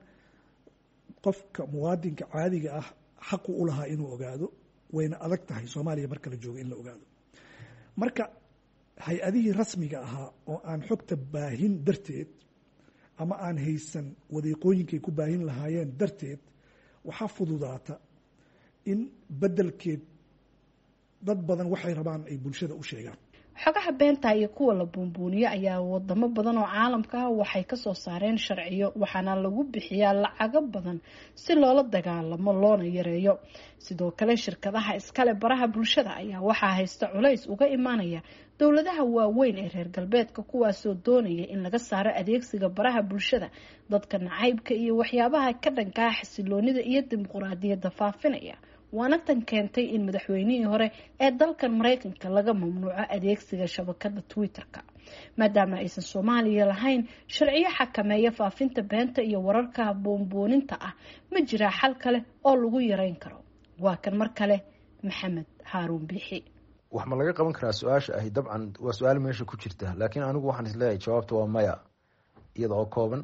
Qofka muwaadinka caadiga ah xaqu u lahaa inuu ogaado, wayna adag tahay Soomaaliya marka la joogo in la ogaado. Marka hay-adihii rasmiga ahaa oo aan xogta baahin darteed ama aan haysan wadiiqooyinkay ku baahin lahaayeen darteed, waxaa fududaata in beddelkeed dad badan waxay rabaan ay bulshada u sheegaan. Xogaha beenta iyo kuwa la buunbuuniyo ayaa wadamo badan oo caalamka ah waxay kasoo saareen sharciyo, waxaana lagu bixiyaa lacago badan si loola dagaalamo loona yareeyo. Sidoo kale shirkadaha iskale baraha bulshada ayaa waxaa haysta culays uga imaanaya dowladaha waaweyn ee reer galbeedka, kuwaasoo doonaya in laga saaro adeegsiga baraha bulshada dadka nacaybka iyo waxyaabaha ka dhankaa xasiloonida iyo dimuquraadiyadda faafinaya. Waana tan keentay in madaxweynihii hore ee dalkan Mareykanka laga mamnuuco adeegsiga shabakada Twitter-ka, maadaama aysan Soomaaliya lahayn sharciyo xakameeya faafinta beenta iyo wararka buunbuuninta ah. Ma jiraa xal kale oo lagu yareyn karo? Waa kan mar kale Maxamed Haaruun Biixi. Wax ma laga qaban karaa su-aasha ahi? Dabcan waa su-aal meesha ku jirta, laakiin anigu waxaan isleeyahay jawaabta waa maya, iyada oo kooban.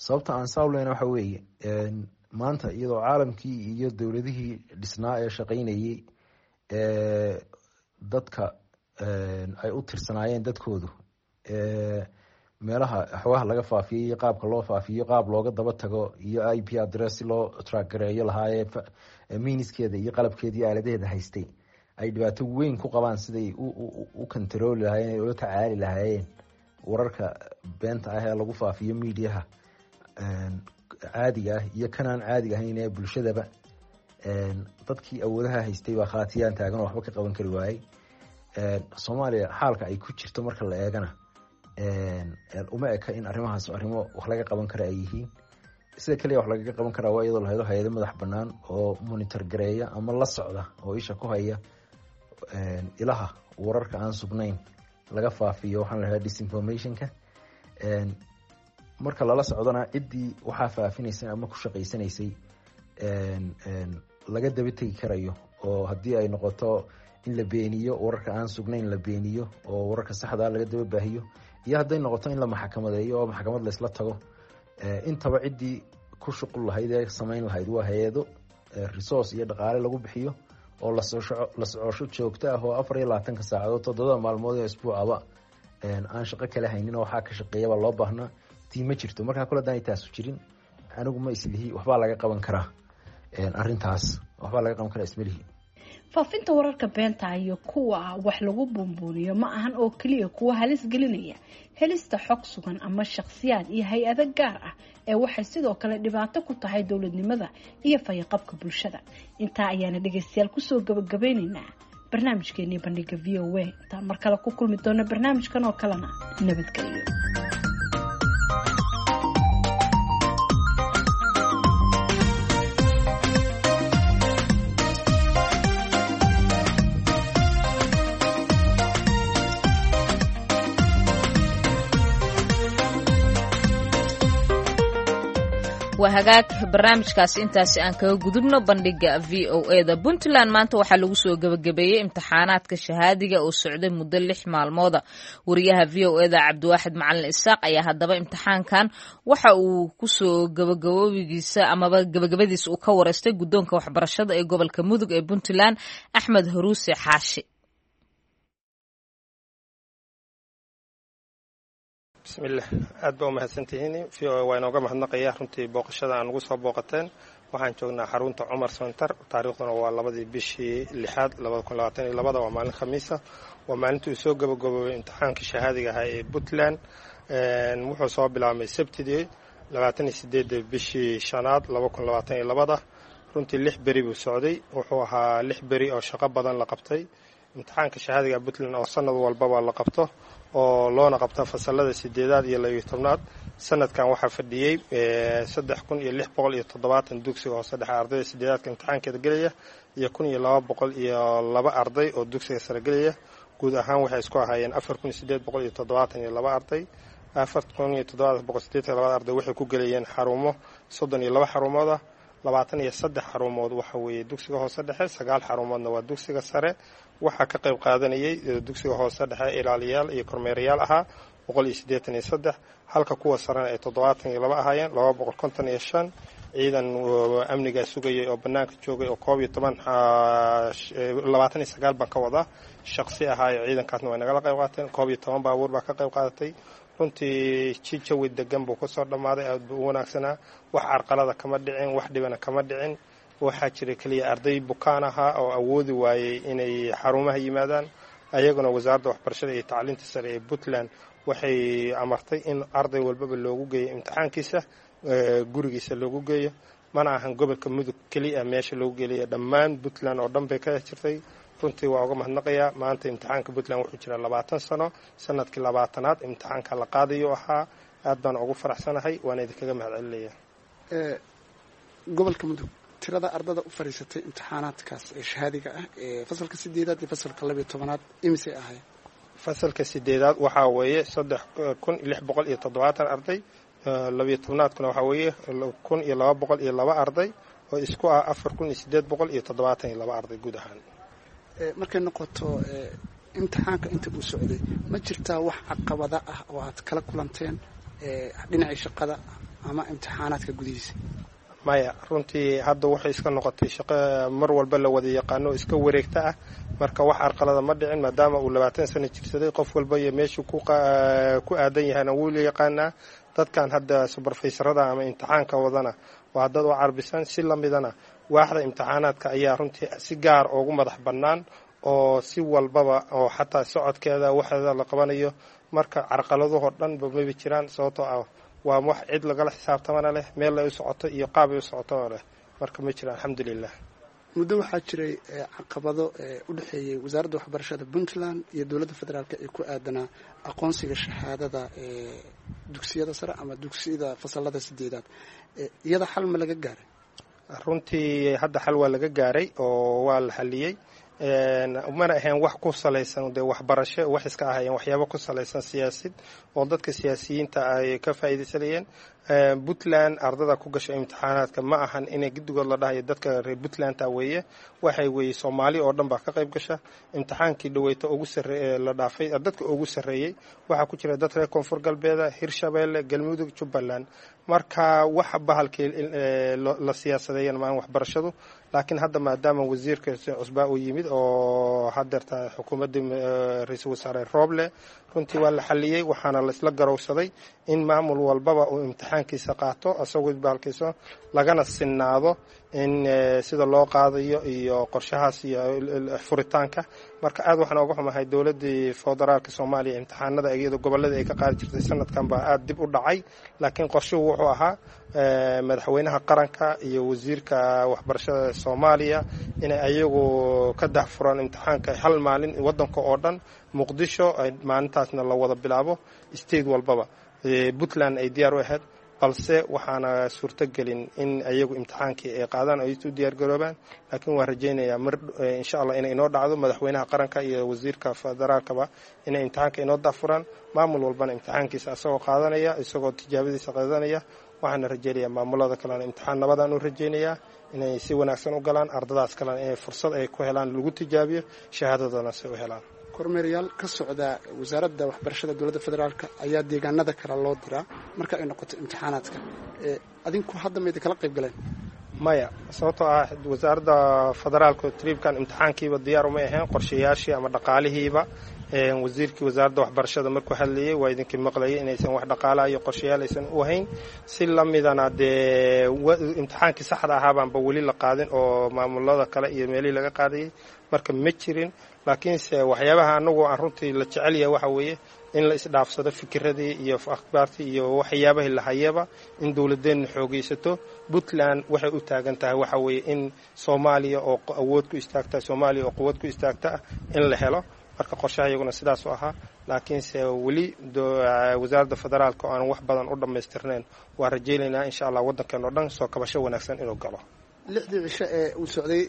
Sababta aan saawleyna waxa weeye, maanta iyadoo caalamkii iyo dowladihii dhisnaa ee shaqaynayey dadka ay u tirsanaayeen dadkoodu Meelaha xogaha laga faafiyay iyo qaabka loo faafiyo, qaab looga daba tago iyo I P address si loo track gareeyo lahaayee, miniskeeda iyo qalabkeeda iyo aaladaheeda haystay ay dhibaato weyn ku qabaan siday u kantarooli lahaayeen, ay ula tacaali lahaayeen wararka beenta ah ee lagu faafiyo miidiyaha caadiga ah iyo kanaan caadiga ahayn ee bulshadaba. Dadkii awoodaha haystay baa khaatiyaan taagan oo waxba ka qaban kari waayey. Soomaaliya xaalka ay ku jirto marka la eegana uma eka in arrimahaas arrimo wax laga qaban kara ay yihiin. Sida kaliya wax lagaga qaban karaa waa iyadoo la helo hay-ado madax bannaan oo monitor gareeya ama la socda oo isha ku haya ilaha wararka aan sugnayn laga faafiyo, waxaan la hadaa disinformationka. Marka lala socdona ciddii waxaa faafinaysay ama ku shaqaysanaysay laga daba tegi karayo, oo haddii ay noqoto in la beeniyo wararka aan sugnayn la beeniyo oo wararka saxdaa laga daba baahiyo, iyo hadday noqoto in la maxkamadeeyo oo maxkamad laysla tago, intaba ciddii ku shuqul lahayd ee samayn lahayd waa hay-ado resource iyo dhaqaale lagu bixiyo oo la socosho joogto ah oo afar iyo labaatanka saacadood toddobada maalmood ee isbuucaba aan shaqo kale haynin oo waxaa ka shaqeeyaba loo baahnaa. Tii ma jirto. Markaa kule hadaan taasu jirin, anigu ma islihi waxbaa laga qaban karaa arrintaas, waxbaa laga qaban karaa ismalihi. Faafinta wararka beenta iyo kuwa wax lagu buunbuuniyo ma ahan oo keliya kuwa halis gelinaya helista xog sugan ama shakhsiyaad iyo hay-ado gaar ah, ee waxay sidoo kale dhibaato ku tahay dowladnimada iyo fayaqabka bulshada. Intaa ayaana dhegeystayaal kusoo gabagabeyneynaa barnaamijkeenii bandhiga V O A. Intaan mar kale ku kulmi doono barnaamijkan oo kalena, nabadgelyo. Waa hagaag, barnaamijkaasi intaasi aan kaga gudubno bandhiga V O A da. Puntland maanta waxaa lagu soo gebagabeeyey imtixaanaadka shahaadiga oo socday muddo lix maalmooda. Wariyaha V O A da Cabdiwaaxid Macalin Isaaq ayaa haddaba imtixaankan waxa uu kusoo gabagaboobigiisa amaba gabagabadiisa uu ka wareystay guddoonka waxbarashada ee gobolka Mudug ee Puntland, Axmed Huruuse Xaashi. Bismillah, aad baa umahadsantihiin. V O A waa inooga mahadnaqaya runtii booqashada aan ugu soo booqateen. Waxaan joognaa xarunta Cumar Center, taariikhduna waa labadii bishii lixaad labada kun labaatan iyo labada, waa maalin khamiisa, waa maalintii uu soo gabagaboobay imtixaankii shahaadiga ahaa ee Puntland. Wuxuu soo bilaabmay sabtidii labaatan iyo sideedda bishii shanaad laba kun labaatan iyo labada. Runtii lix beri buu socday, wuxuu ahaa lix beri oo shaqo badan la qabtay. Imtixaanka shahaadiga Puntland oo sanad walbaba la qabto oo loona qabto fasalada sideedaad iyo labiyo tobnaad, sanadkan waxaa fadhiyey saddex kun iyo lix boqol iyo toddobaatan dugsiga hoose dhexe ardayda sideedaadka imtixaankeeda gelaya iyo kun iyo laba boqol iyo laba arday oo dugsiga sare gelaya. Guud ahaan waxay isku ahaayeen afar kun iyo sideed boqol iyo toddobaatan iyo laba arday. Afar kun iyo toddobaatan boqol sideetan iyo labada arday waxay ku gelayeen xarumo soddon iyo laba xarumood ah. Labaatan iyo saddex xarumood waxa weeye dugsiga hoose dhexe, sagaal xarumoodna waa dugsiga sare. Waxaa ka qayb qaadanayay dugsiga hoose dhexe ilaaliyaal iyo kormeerayaal ahaa boqol iyo siddeetan iyo saddex, halka kuwa sarena ay toddobaatan iyo laba ahaayeen laba boqol konton iyo shan. Ciidan amnigaa sugayay oo bannaanka joogay oo koob iyo toban labaatan iyo sagaal baan ka wadaa shaqsi ahaayo, ciidankaasna way nagala qayb qaateen. Koob iyo toban baabuur baa ka qayb qaadatay. Runtii ji jawi degan buu kusoo dhammaaday, aad buu u wanaagsanaa. Wax carqalada kama dhicin, wax dhibana kama dhicin. Waxaa jiray keliya arday bukaan ahaa oo awoodi waayey inay xarumaha yimaadaan. Ayaguna wasaaradda waxbarashada iyo tacliinta sare ee Puntland waxay amartay in arday walbaba loogu geeyo imtixaankiisa gurigiisa loogu geeyo. Mana ahan gobolka Mudug keliya meesha loogu geelaya, dhammaan Puntland oo dhan bay ka jirtay. Runtii waa uga mahadnaqayaa. Maanta imtixaanka Puntland wuxuu jiraa labaatan sano, sanadkii labaatanaad imtixaanka la qaadayo ahaa. Aad baan ugu faraxsanahay, waana idinkaga mahad celinaya. Gobolka Mudug tirada ardada u fadhiisatay imtixaanaadkaas ee shahaadiga ah ee fasalka sideedaad iyo fasalka labiyo tobanaad imisay ahayd? Fasalka sideedaad waxaa weeye saddex kun lix boqol iyo toddobaatan arday, labiyo tobnaadkuna waxaa weeye kun iyo laba boqol iyo laba arday, oo isku ah afar kun iyo sideed boqol iyo toddobaatan iyo laba arday guud ahaan. Markay noqoto imtixaanka inta uu socday, ma jirtaa wax caqabada ah oo aad kala kulanteen dhinacii shaqada ama imtixaanaadka gudihiisa? Maya, runtii hadda waxay iska noqotay shaqo mar walba la wada yaqaano iska wareegta ah. Marka wax carqalada ma dhicin, maadaama uu labaatan sano jirsaday, qof walba iyo meeshuu ku aadan yahayna wuu la yaqaanaa. Dadkan hadda subarfaysarada ama imtixaanka wadana waa dad u carbisan. Si lamidana waaxda imtixaanaadka ayaa runtii si gaar ugu madax bannaan oo si walbaba oo xataa socodkeeda waxeeda la qabanayo. Marka carqaladuhoo dhanba maba jiraan, sababtoo ah waa wax cid lagala xisaabtamana leh, meel ay u socoto iyo qaab ay u socotona leh. Marka ma jiraan, alxamdulilah. Muddo waxaa jiray caqabado u dhexeeyey wasaaradda waxbarashada Puntland iyo dowladda federaalk ee ku aadanaa aqoonsiga shahaadada dugsiyada sare ama dugsiyada fasalada sideedaad. Iyada xal ma laga gaaray? Runtii hadda xal waa laga gaaray oo waa la xaliyey. Mana ahayn wax ku salaysan dee waxbarasho, wax iska ahayeen waxyaabo ku salaysan siyaasid oo dadka siyaasiyiinta ay ka faa'iidaysanayeen. Puntland ardada ku gasha imtixaanaadka ma ahan inay guddigood la dhahayo dadka reer Puntlandta weeye, waxay weeye Soomaali oo dhan baa ka qayb gasha. Imtixaankii dhaweyta ugu sarre la dhaafay dadka ugu sarreeyey waxaa ku jira dad reer Koonfur Galbeeda, Hirshabeelle, Galmudug, Jubbaland. Marka wax bahalkii la siyaasadeeyan maahan waxbarashadu. Laakiin hadda maadaama wasiirka cusbaa uu yimid oo hadeerta xukuumaddii ra-iisul wasaare Rooble, runtii waa la xaliyey, waxaana laisla garowsaday in maamul walbaba uu imtixaankiisa qaato isagoo bahalkiisa, lagana sinaado in sida loo qaadayo iyo qorshahaas iyo furitaanka. Marka aad waxaan oga xumahay dowladdii federaalka Soomaaliya imtixaanada iyadoo gobolladii ay ka qaadi jirtay sanadkan baa aada dib u dhacay. Laakiin qorshuhu wuxuu ahaa madaxweynaha qaranka iyo wasiirka waxbarashada Soomaaliya inay ayagu ka dahfuraan imtixaanka hal maalin waddanka oo dhan, Muqdisho ay maalintaasna la wada bilaabo, state walbaba. Puntland ay diyaar u ahayd, balse waxaana suurtogelin in ayagu imtixaankii ay qaadaan ay u diyaargaroobaan. Laakiin waan rajaynayaa mar insha allah inay inoo dhacdo, madaxweynaha qaranka iyo wasiirka federaalkaba inay imtixaanka inoo dahfuraan, maamul walbana imtixaankiisa isagoo qaadanaya, isagoo tijaabadiisa qaadanaya. Waxaana rajaynayaa maamulada kalena imtixaan nabadaan u rajaynayaa inay si wanaagsan u galaan, ardadaas kalena inay fursad ay ku helaan lagu tijaabiyo shahaadadana si u helaan. Kormeerayaal ka socda wasaaradda waxbarashada dowladda federaalk ayaa deegaanada kale loo diraa marka ay noqoto imtixaanaadka. Adinku hadda mayda kala qayb galeen? Maya, sababtoo ah wasaaradda federaalka triibkan imtixaankiiba diyaar umay ahayn, qorshayaashii ama dhaqaalihiiba. Wasiirkii wasaaradda waxbarashada markuu hadlayay waa idinkii maqlayay inaysan wax dhaqaalaha iyo qorshayaal aysan u hayn. Si lamidana dee imtixaankii saxda ahaabaanba weli la qaadin oo maamulada kale iyo meelihii laga qaadayay, marka ma jirin. Laakiinse waxyaabaha anagu aan runtii la jecel yahay waxa weeye in la isdhaafsado fikiradii iyo akhbaartii iyo waxyaabahii lahayaba, in dowladeenna xoogaysato. Puntland waxay u taagan tahay waxa weeye in Soomaaliya oo awood ku istaagta, Soomaaliya oo quwad ku istaagta in la helo. Marka qorshaha iyaguna sidaas u ahaa, laakiinse weli wasaaradda federaalka oo aan wax badan u dhammaystirnayn. Waa rajaynaynaa insha allah waddankeena o dhan soo kabasho wanaagsan inuu galo. Lixdii cisho ee uu socday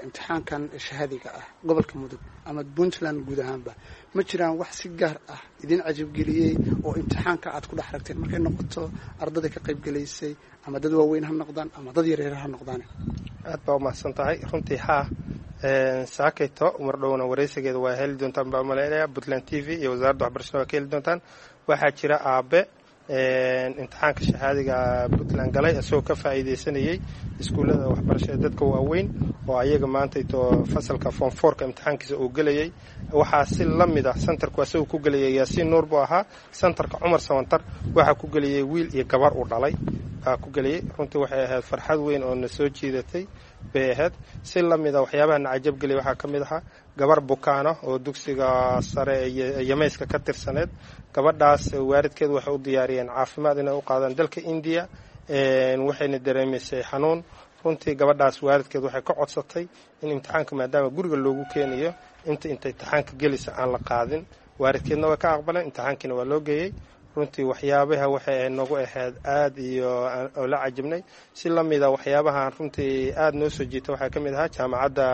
imtixaankan shahaadiga ah gobolka Mudug ama Puntland guud ahaanba, ma jiraan wax si gaar ah idin cajabgeliyey oo imtixaanka aad ku dhex ragteen markay noqoto ardada ka qaybgalaysay, ama dad waaweyn ha noqdaan ama dad yaryar ha noqdaan? Aad baa umahadsan tahay. Runtii haa, saakayto mar dhowna waraysigeeda waa heli doontaan baa umalaynaya, Puntland t v iyo wasaaradda waxbarashada waa ka heli doontaan. Waxaa jira aabe imtixaanka shahaadiga Puntland galay isagoo ka faa'iidaysanayay iskuullada waxbarashada dadka waaweyn oo ayaga maantayto fasalka form fourka imtixaankiisa uu gelayay. Waxaa si la mid ah sentarku isagoo ku gelayay Yaasiin Nuur buu ahaa, sentarka Cumar Sawantar waxaa ku gelayay wiil iyo gabar uu dhalay baa ku geliyey. Runtii waxay ahayd farxad weyn oo na soo jiidatay bay ahayd. Si la mida waxyaabaha na cajab geliyay waxaa ka mid ahaa gabar bukaana oo dugsiga sare ee Yamayska ka tirsaneed. Gabadhaas waalidkeed waxay u diyaariyeen caafimaad inay u qaadaan dalka Indiya, waxayna dareemaysay xanuun. Runtii gabadhaas waalidkeed waxay ka codsatay in imtixaanka maadaama guriga loogu keenayo inta inta imtixaanka gelisa aan la qaadin. Waalidkeedna way ka aqbaleen, imtixaankiina waa loo geeyey. Runtii waxyaabaha waxay nagu ahayd aad iyo oo la cajabnay. Si la mida waxyaabahan runtii aad noo soo jiita waxaa ka mid ahaa jaamacadda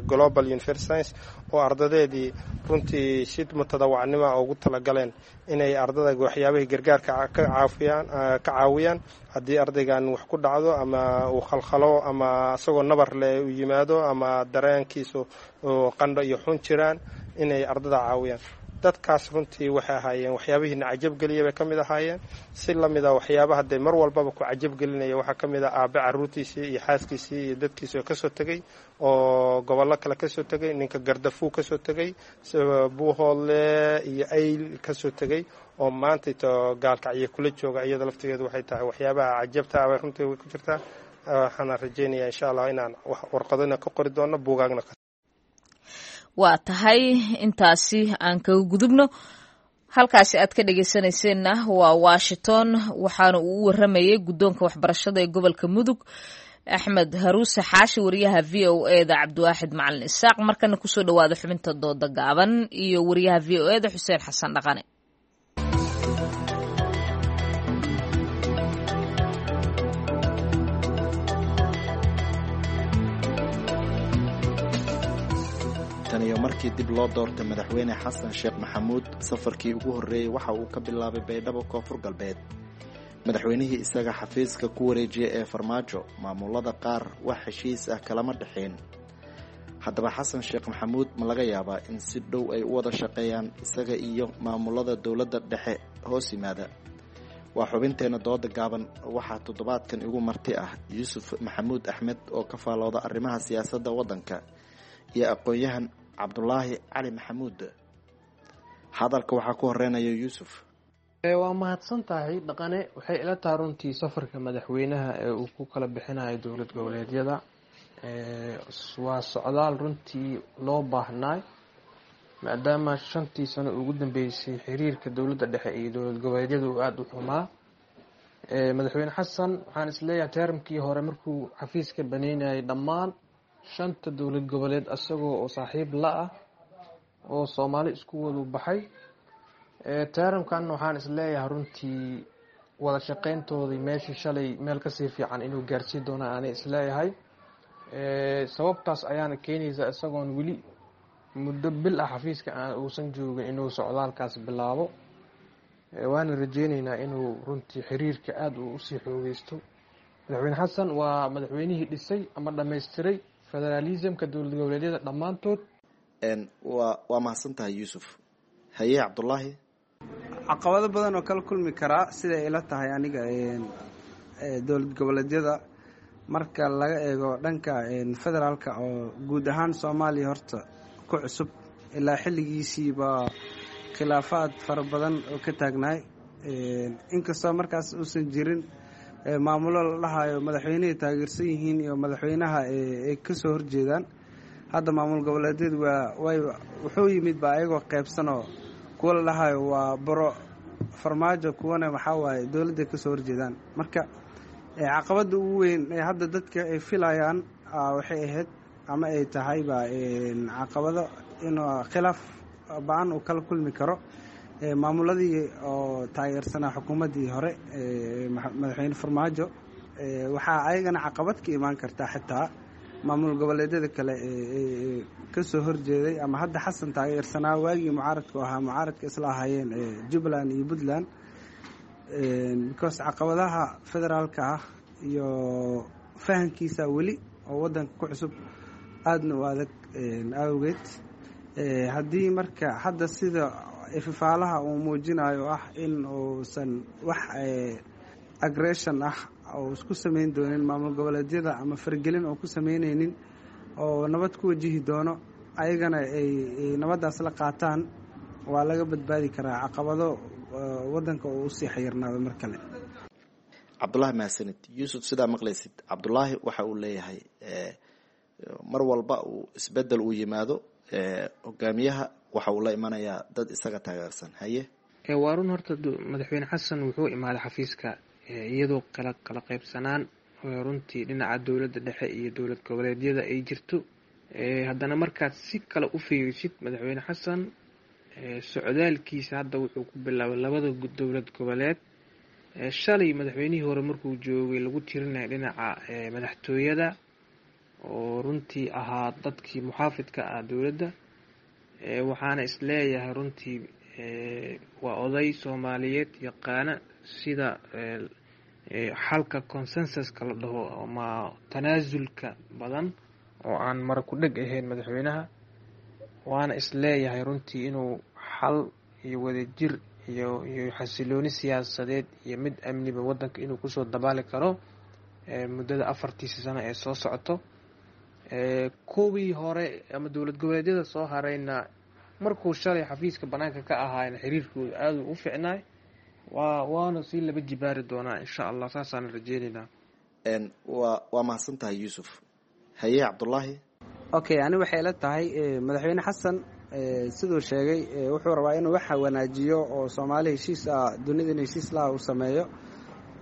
Global University Science oo ardadeedii runtii si mutadawacnimo ugu talagaleen inay ardada waxyaabahii gargaarka ka caafiyaan ka caawiyaan haddii ardaygan wax ku dhacdo ama uu khalkhalo ama isagoo nabar leh u yimaado ama dareenkiisu qandho iyo xun jiraan, inay ardada caawiyaan. Dadkaas runtii waxay ahaayeen waxyaabihiina cajabgeliya bay ka mid ahaayeen. Si lamid a waxyaabaha dee mar walbaba ku cajabgelinaya waxaa ka mid ah aabe caruurtiisii iyo xaaskiisii iyo dadkiisii oo kasoo tegey, oo gobollo kale kasoo tegey, ninka Gardafuu kasoo tegey, Buuhoodle iyo Ayl kasoo tegey, oo maanta to Gaalkacyo kula jooga. Iyada laftigeedu waxay tahay waxyaabaha cajabta ah bay runtii way ku jirtaa. Waxaana rajaynayaa insha Allah inaan warqadona ka qori doono, buugaagna. Waa tahay, intaasi aan kaga gudubno. Halkaasi aad ka dhegeysanayseena waa Washington. Waxaana uu u waramayay guddoonka waxbarashada ee gobolka Mudug, Axmed Haruuse Xaashi, wariyaha V O E da Cabdiwaaxid Macalin Isaaq. Markana kusoo dhawaada xubinta dooda gaaban iyo wariyaha V O E da Xuseen Xasan Dhaqane. Tan iyo markii dib loo doortay Madaxweyne Xasan Sheekh Maxamuud, safarkii ugu horreeyey waxa uu ka bilaabay Baydhabo, Koonfur Galbeed. Madaxweynihii isaga xafiiska ku wareejiyay ee Farmaajo maamulada qaar wax heshiis ah kalama dhexeen. Haddaba Xasan Sheekh Maxamuud ma laga yaabaa in si dhow ay u wada shaqeeyaan isaga iyo maamulada dowladda dhexe hoos yimaada? Waa xubinteenna dooda gaaban. Waxaa toddobaadkan igu marti ah Yuusuf Maxamuud Axmed oo ka faalooda arrimaha siyaasadda waddanka iyo aqoon-yahan Cabdulaahi Cali Maxamuud. Hadalka waxaa ku horeynaya Yuusuf. Waa mahadsan tahay, Dhaqane. Waxay ila tahay runtii safarka madaxweynaha ee uu ku kala bixinayo dowlad goboleedyada waa socdaal runtii loo baahnaay, maadaama shantii sano ugu dambeysay xiriirka dowladda dhexe iyo dowlad goboleedyada uu aada u xumaa. Madaxweyne Xasan waxaan isleeyahay teermkii hore markuu xafiiska baneynayay dhammaan shanta dowlad goboleed isagoo oo saaxiib la ah oo Soomaali isku wadu baxay. Teeramkan waxaan isleeyahay runtii wada shaqeyntoodii meeshii shalay meel kasii fiican inuu gaarsiin doona aanay isleeyahay. Sababtaas ayaana keenaysa isagoon weli muddo bil ah xafiiska aan uusan joogin inuu socdaalkaas bilaabo, waana rajeyneynaa inuu runtii xiriirka aada uu usii xoogeysto. Madaxweyne Xasan waa madaxweynihii dhisay ama dhammaystiray federaalismka dowlad goboleedyada dhammaantood. Waa waa mahadsan tahay, Yuusuf. Haye, Cabdulaahi. Caqabado badan oo kala kulmi karaa siday ila tahay aniga dowlad goboleedyada marka laga eego dhanka federaalka oo guud ahaan Soomaaliya horta ku cusub, ilaa xilligiisiiba khilaafaad fara badan oo ka taagnaay, inkastoo markaas uusan jirin maamulo la dhahayo madaxweynehay taageersan yihiin iyo madaxweynaha ay kasoo horjeedaan. Hadda maamul goboleedyadu waa way wuxuu yimid ba ayagoo qaybsanoo, kuwa la dhahayo waa baro Farmaajo, kuwana waxaa waaye dowladday kasoo horjeedaan. Marka caqabadda ugu weyn ee hadda dadka ay filayaan waxay ahayd ama ay tahayba caqabado inuu khilaaf ba-an uu kala kulmi karo maamuladii oo taageersanaa xukuumaddii hore madaxweyne Farmaajo. Waxaa ayagana caqabad ka imaan kartaa xitaa maamul goboleedyada kale ee kasoo horjeeday ama hadda Xasan taageersanaa waagii mucaaradku ahaa, mucaaradka isla ahaayeen Jubbaland iyo Puntland, because caqabadaha federaalka ah iyo fahankiisa weli oo waddanka ku cusub aadna u adag awgeed. Haddii marka hadda sida ififaalaha uu muujinayo ah in uusan wax aggression ah oo isku samayn doonin maamul goboleedyada ama fargelin oo ku samaynaynin oo nabad ku wajihi doono, ayagana ay nabaddaas la qaataan, waa laga badbaadi karaa caqabado waddanka oo usii xayirnaado mar kale. Cabdulaahi, mahadsanid. Yuusuf, sidaa maqlaysid, Cabdulaahi waxa uu leeyahay mar walba uu isbedel uu yimaado hogaamiyaha waxa uu la imanayaa dad isaga taageersan. Haye. Waa run. Horta madaxweyne Xasan wuxuu imaaday xafiiska iyadoo kala kala qaybsanaan runtii dhinaca dowladda dhexe iyo dowlad goboleedyada ay jirto. Haddana markaad si kale u fiirisid, madaxweyne Xasan socdaalkiisa hadda wuxuu ku bilaabay labada dowlad goboleed. Shalay madaxweynihii hore markuu joogay lagu tirinaya dhinaca madaxtooyada oo runtii ahaa dadkii muxaafidka ah dowladda. Waxaana isleeyahay runtii waa oday Soomaaliyeed yaqaana sida xalka consensuska la dhaho ama tanaasulka badan oo aan mara ku dheg ahayn madaxweynaha. Waana isleeyahay runtii inuu Xal iyo wadajir iyo iyo xasilooni siyaasadeed iyo mid amniba wadanka inuu kusoo dabaali karo muddada afartiisa sano ee soo socoto. Kuwii hore ama dowlad goboleedyada soo harayna markuu shalay xafiiska banaanka ka ahaayna xiriirkooda aada u ficnaay, waa waana sii laba jibaari doonaa insha Allah, saasaan rajeyneynaa. Wa waa mahadsan tahay Yuusuf. Haye Cabdullaahi. Okay, ani waxay ila tahay madaxweyne Xasan siduu sheegay wuxuu rabaa inuu waxa wanaajiyo oo Soomaali heshiis ah, dunidana heshiis laha uu sameeyo.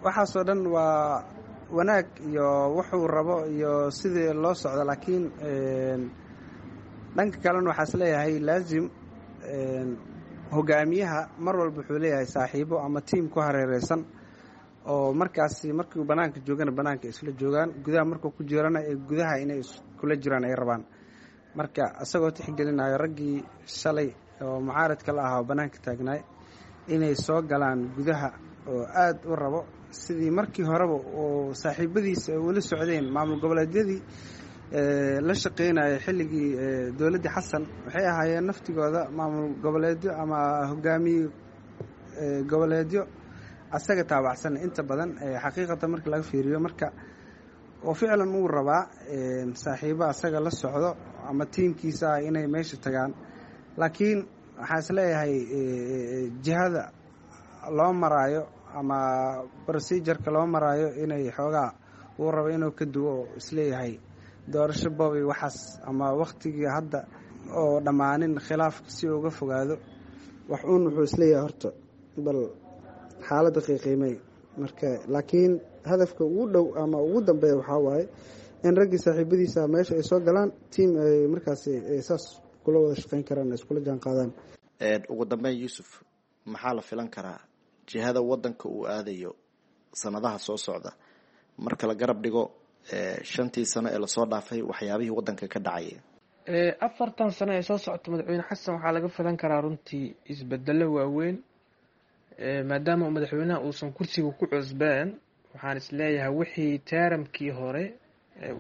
Waxaasoo dhan waa wanaag iyo wuxuu rabo iyo sidii loo socdo, laakiin dhanka kalena waxaa is leeyahay laazim hogaamiyaha mar walba wuxuu leeyahay saaxiibo ama tiim ku hareereysan oo markaasi markuu banaanka joogana banaanka isla joogaan, gudaha markuu ku jirana ee gudaha inay iskula jiraan ay rabaan. Marka isagoo tixgelinayo raggii shalay oo mucaaradka la ahaa oo banaanka taagnaay inay soo galaan gudaha oo aada u rabo sidii markii horeba oo saaxiibadiisa ay ula socdeen maamul goboleedyadii la shaqeynaya xilligii dowladdii Xasan, waxay ahaayeen naftigooda maamul goboleedyo ama hogaamiye goboleedyo asaga taabacsan inta badan xaqiiqatan marka laga fiiriyo. Marka oo ficlan uu rabaa saaxiibo asaga la socdo ama tiimkiisa ah inay meesha tagaan, laakiin waxaan is leeyahay jihada loo maraayo ama procedureka loo maraayo inay xoogaa uu rabo inuu ka duwo oo isleeyahay doorasho boobi waxaas ama wakhtigii hadda oo dhammaanin khilaafka si uga fogaado wax uun wuxuu isleeyahay horta bal xaaladda qiiqiimey. Marka laakiin hadafka ugu dhow ama ugu dambeeya waxaa waaye in raggii saaxiibadiisa meesha ay soo galaan, tiim ay markaasi saas kula wada shaqeyn karaan, iskula jaan qaadaan. Ugu dambeyn Yuusuf, maxaa la filan karaa jihada wadanka uu aadayo sanadaha soo socda marka la garab dhigo shantii sano ee lasoo dhaafay waxyaabihii wadanka ka dhacaya? Afartan sano ee soo socota madaxweyne Xasan waxaa laga filan karaa runtii isbedelo waaweyn, maadaama madaxweynaha uusan kursiga ku cusbeen. Waxaan isleeyahay wixii taaramkii hore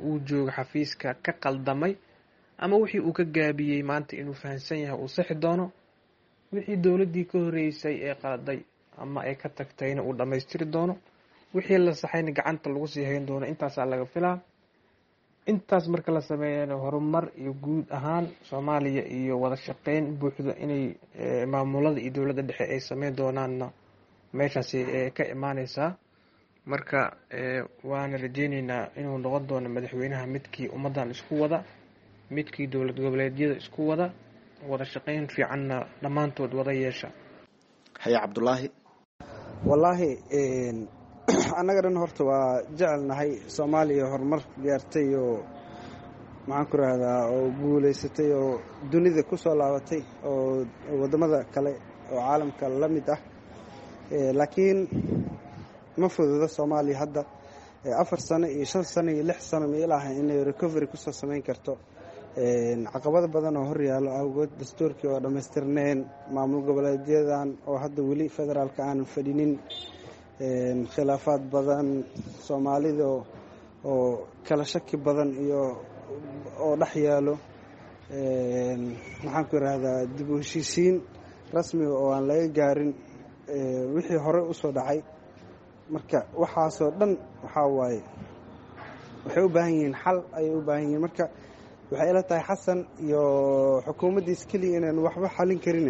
uu jooga xafiiska ka qaldamay ama wixii uu ka gaabiyey maanta inuu fahansan yahay uu sixi doono, wixii dowladdii ka horreysay ee qaladay ama ay ka tagtayna uu dhammaystiri doono, wixii la saxayna gacanta lagu sii hayn doono. Intaasaa laga filaa. Intaas marka la sameeyana horumar iyo guud ahaan Soomaaliya iyo wada shaqeyn buuxda inay maamulada iyo dowladda dhexe ay sameyn doonaanna meeshaasi ka imaaneysaa. Marka waana rajeyneynaa inuu noqon doono madaxweynaha midkii ummaddan isku wada, midkii dowlad goboleedyada isku wada, wada shaqeyn fiicanna dhammaantood wada yeesha. Haye Cabdullaahi. Wallaahi annaga dhan horta waa jecelnahay Soomaaliya horumar gaartay oo maxaan ku rahdaa oo guulaysatay oo dunida ku soo laabatay oo waddamada kale oo caalamka la mid ah, laakiin ma fududo Soomaaliya hadda afar sano iyo shan sano iyo lix sano ma ilaaha inay recovery kusoo samayn karto. Caqabado badan oo hor yaallo awgood, dastuurkii oo dhammaystirneen, maamul goboleedyadan oo hadda weli federaalka aanan fadhinin, khilaafaad badan, Soomaalida oo kala shaki badan iyo oo dhex yaalo, maxaan ku yidhaahdaa dib u heshiisiin rasmiga oo aan laga gaarin wixii hore usoo dhacay. Marka waxaasoo dhan waxaa waaye waxay u baahan yihiin xal ayay u baahan yihiin. Marka waxay ila tahay Xasan iyo xukuumaddiis keliya inaan waxba xalin karin,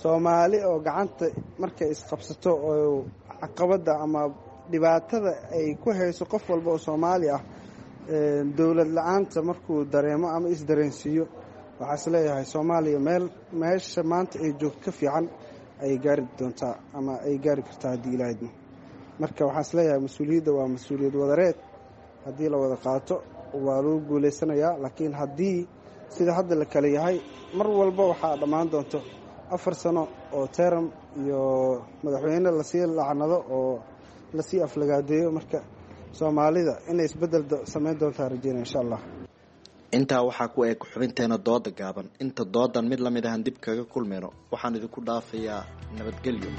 Soomaali oo gacanta markay isqabsato oo caqabadda ama dhibaatada ay ku hayso qof walba oo Soomaali ah dowlad la-aanta markuu dareemo ama isdareensiiyo, waxaa is leeyahay Soomaaliya meel meesha maanta ay joogto ka fiican ay gaari doontaa ama ay gaari kartaa haddii Ilaahay idmo. Marka waxaa is leeyahay mas-uuliyadda waa mas-uuliyad wadareed, haddii la wada qaato waa lagu guulaysanayaa, laakiin haddii sida hadda la kale yahay mar walba waxaa dhammaan doonto afar sano oo teram iyo madaxweyne lasii lacnado oo lasii aflagaadeeyo. Marka Soomaalida inay isbedel samayn doontaa rajeynaya insha Allah. Intaa waxaa ku eg xubinteena dooda gaaban. Inta doodan mid lamid ahan dib kaga kulmayno, waxaan idinku dhaafayaa nabadgelyo.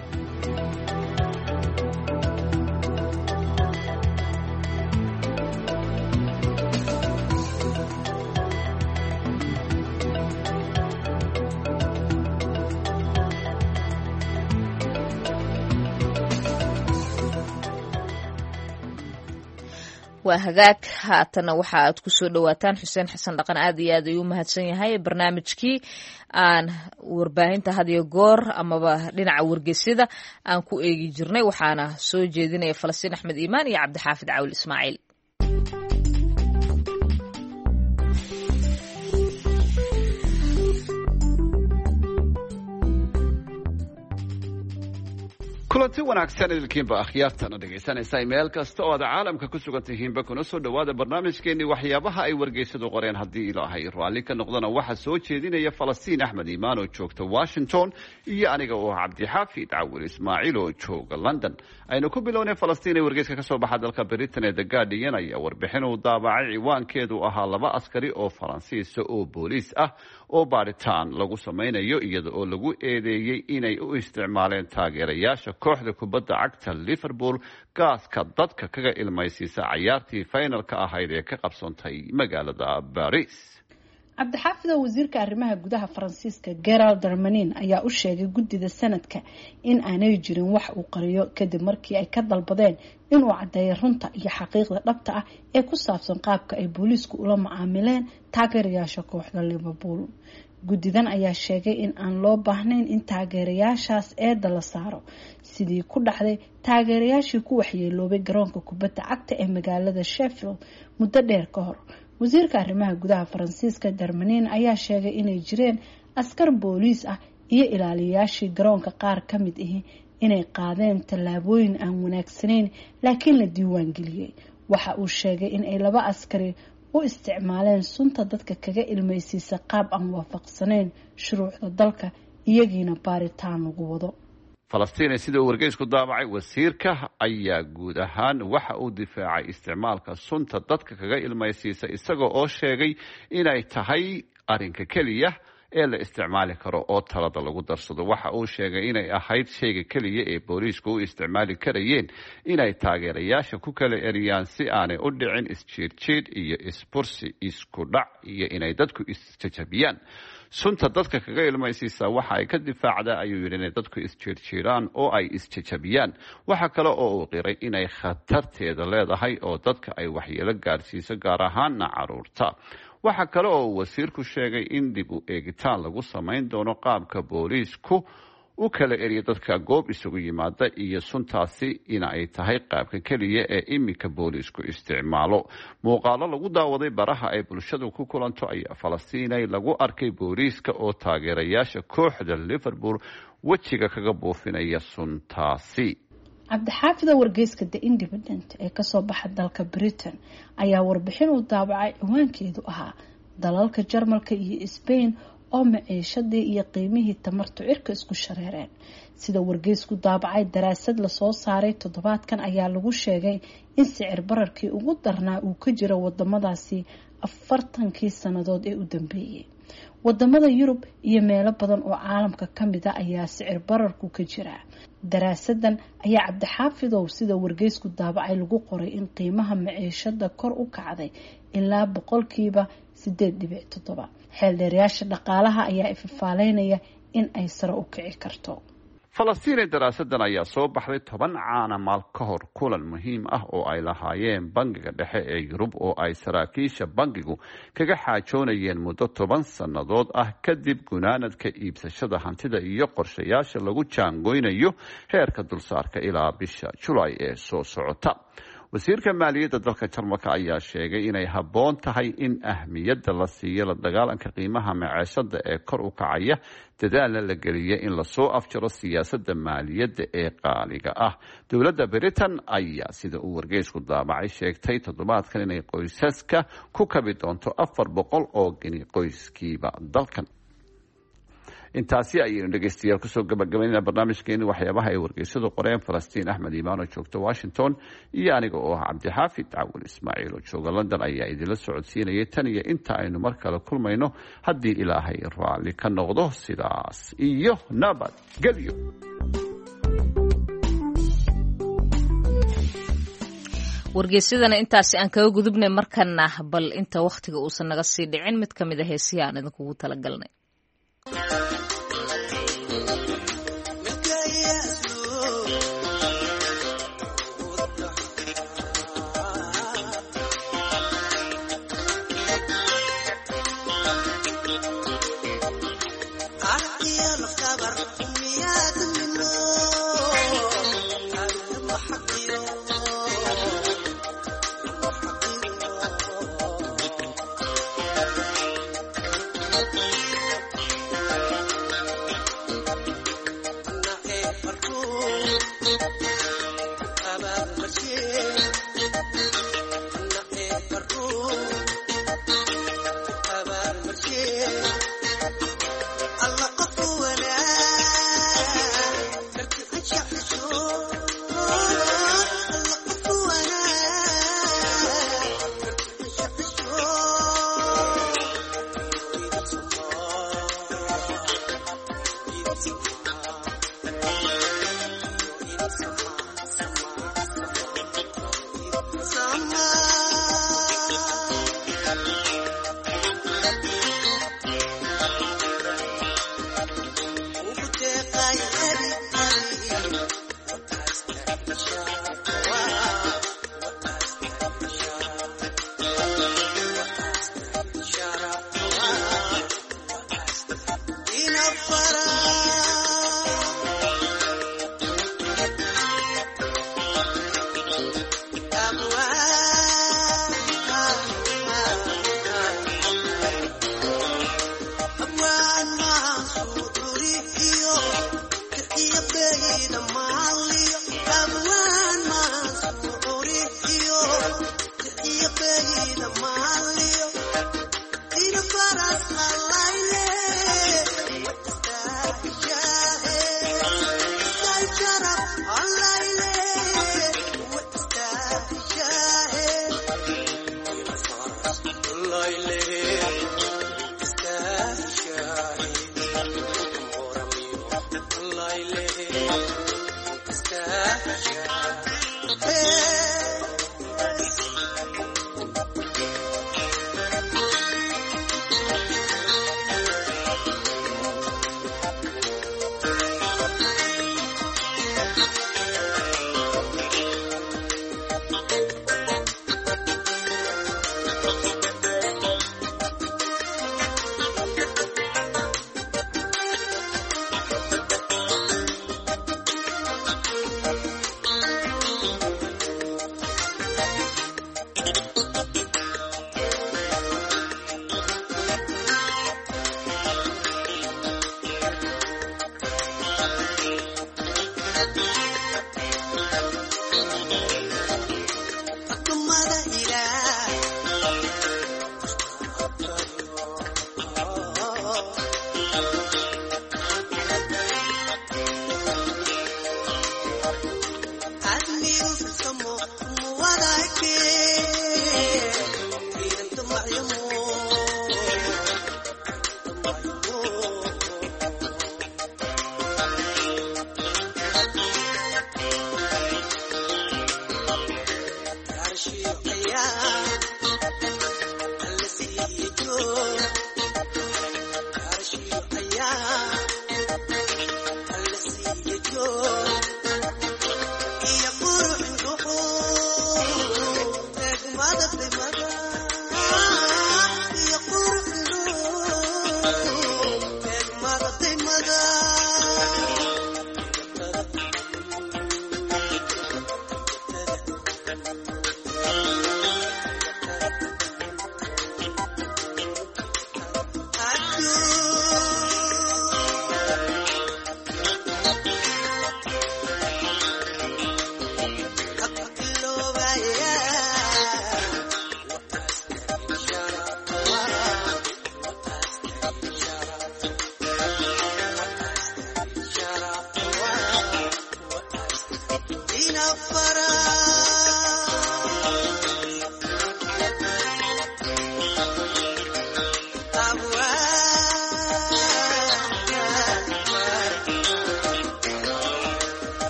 Waa hagaag. Haatana waxa aad ku soo dhawaataan Xuseen Xasan Dhaqan, aad iyo aad ayuu u mahadsan yahay, barnaamijkii aan warbaahinta had iyo goor amaba dhinaca wargeysyada aan ku eegi jirnay, waxaana soo jeedinaya Falastiin Axmed Iimaan iyo Cabdixaafid Cawil Ismaaciil. Kulanti wanaagsan idilkiinba akhyaartana dhegaysanaysa meel kasta oo aad caalamka ku sugan tihiinba, kuna soo dhowaada barnaamijkeenii waxyaabaha ay wargeysadu qoreen. Haddii Ilaahay raalli ka noqdana, waxaa soo jeedinaya Falastiin Axmed Iimaan oo joogta Washington iyo aniga oo Cabdixaafid Cawil Ismaaciil oo jooga London. Aynu ku bilownay Falastiin ee wargeyska kasoo baxa dalka Britain ee The Guardian ayaa warbixin uu daabacay ciwaankeedu ahaa laba askari oo Faransiisa oo booliis ah oo baaritaan lagu samaynayo, iyada oo lagu eedeeyey inay u isticmaaleen taageerayaasha kooxda kubadda cagta Liverpool gaaska dadka kaga ilmaysiisa cayaartii finalka ahayd ee ka qabsantay magaalada Baris. Cabdixaafido, wasiirka arrimaha gudaha Faransiiska Gerald Darmanin ayaa u sheegay guddida sanadka in aanay jirin wax uu qariyo, kadib markii ay ka dalbadeen inuu caddeeyo runta iyo xaqiiqda dhabta ah ee ku saabsan qaabka ay booliisku ula macaamileen taageerayaasha kooxda Liverpool. Guddidan ayaa sheegay in aan loo baahnayn in taageerayaashaas eedda la saaro, sidii ku dhacday taageerayaashii ku waxyeeloobay garoonka kubadda cagta ee magaalada Sheffield muddo dheer ka hor. Wasiirka arrimaha gudaha Faransiiska Darmanin ayaa sheegay inay jireen askar booliis ah iyo ilaaliyayaashii garoonka qaar ka mid ahi inay qaadeen tallaabooyin aan wanaagsanayn, laakiin la diiwaan geliyey. Waxa uu sheegay in ay laba askari u isticmaaleen sunta dadka kaga ilmaysiisa qaab aan waafaqsanayn shuruucda dalka, iyagiina baaritaan lagu wado. Falastiin, sida uu wargeysku daabacay, wasiirka ayaa guud ahaan waxa uu difaacay isticmaalka sunta dadka kaga ilmaysiisa, isaga oo sheegay inay tahay arrinka keliya ee la isticmaali karo oo talada lagu darsado. Waxa uu sheegay inay ahayd shayga keliya ee booliisku u isticmaali karayeen inay taageerayaasha ku kala eriyaan, si aanay u dhicin isjiirjiidh iyo isbursi, isku dhac iyo inay dadku isjajabiyaan. Sunta dadka kaga ilmaysiisa waxa ay ka difaacdaa, ayuu yidhi, inay dadku isjiirjiiraan oo ay isjajabiyaan. Waxa kale oo uu qiray inay khatarteeda leedahay oo dadka ay waxyeelo gaarsiiso, gaar ahaana caruurta. Waxa kale oo uu wasiirku sheegay in dib u eegitaan lagu samayn doono qaabka booliisku u kala eriya dadka goob isugu yimaada, iyo suntaasi in ay tahay qaabka keliya ee iminka booliisku isticmaalo. Muuqaalo lagu daawaday baraha ay bulshadu ku kulanto ayaa Falastiinay lagu arkay booliiska oo taageerayaasha kooxda Liverpool wejiga kaga buufinaya suntaasi. Cabdixaafida, wargeyska The Independent ee kasoo baxa dalka Britain ayaa warbixin uu daabacay ciwaankeedu ahaa dalalka Jarmalka iyo Spain oo maciishadii iyo qiimihii tamartu cirka isku shareereen. Sida wargeysku daabacay, daraasad lasoo saaray toddobaadkan ayaa lagu sheegay in sicir bararkii ugu darnaa uu ka jiro wadamadaasi afartankii sannadood ee u dambeeyey. Wadamada Yurub iyo meelo badan oo caalamka kamida ayaa sicir bararku ka jira. Daraasadan ayaa, Cabdixaafidow, sida wargeysku daabacay lagu qoray in qiimaha maciishada kor u kacday ilaa boqolkiiba sideed dhibic toddoba. Xeeldheerayaasha dhaqaalaha ayaa ifafaaleynaya in ay sare u kici karto. Falastiinee, daraasadan ayaa soo baxday toban caana maal ka hor kulan muhiim ah oo ay lahaayeen Bangiga Dhexe ee Yurub, oo ay saraakiisha bangigu kaga xaajoonayeen muddo toban sannadood ah kadib gunaanadka iibsashada hantida iyo qorshayaasha lagu jaangoynayo heerka dulsaarka ilaa bisha Julaay ee soo socota. Wasiirka maaliyadda dalka Jarmalka ayaa sheegay inay habboon tahay in ahmiyadda la siiyo la dagaalanka qiimaha maceeshada ee kor u kacaya, dadaalna la geliya in lasoo afjaro siyaasadda maaliyadda ee qaaliga ah. Dowladda Britain ayaa, sida uu wargeysku daabacay, sheegtay toddobaadkan inay qoysaska ku kabi doonto afar boqol oo geni qoyskiiba dalkan. Intaasi ayaynu dhegeystayaal kusoo gabagabaynayna barnaamijkeeni waxyaabaha ay wargeysadu qoreen. Falastiin Axmed Iimaan oo joogta Washington iyo aniga oo ah Cabdixaafid Cawil Ismaaciil oo jooga London ayaa idinla socodsiinayay tan iyo inta aynu mar kale kulmayno, haddii Ilaahay raalli ka noqdo, sidaas iyo nabadgelyo. Wargeysyadana intaasi aan kaga gudubnay. Markana bal inta wakhtiga uusan naga sii dhicin, mid ka mid a heesihi aan idinkugu talagalnay.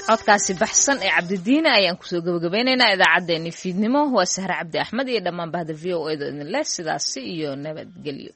Codkaasi baxsan ee Cabdidiine ayaan kusoo gabagabeynaynaa idaacaddeenni fiidnimo. Waa Sahre Cabdi Axmed iyo dhammaan bahda V O A da idin leh sidaasi iyo nabadgelyo.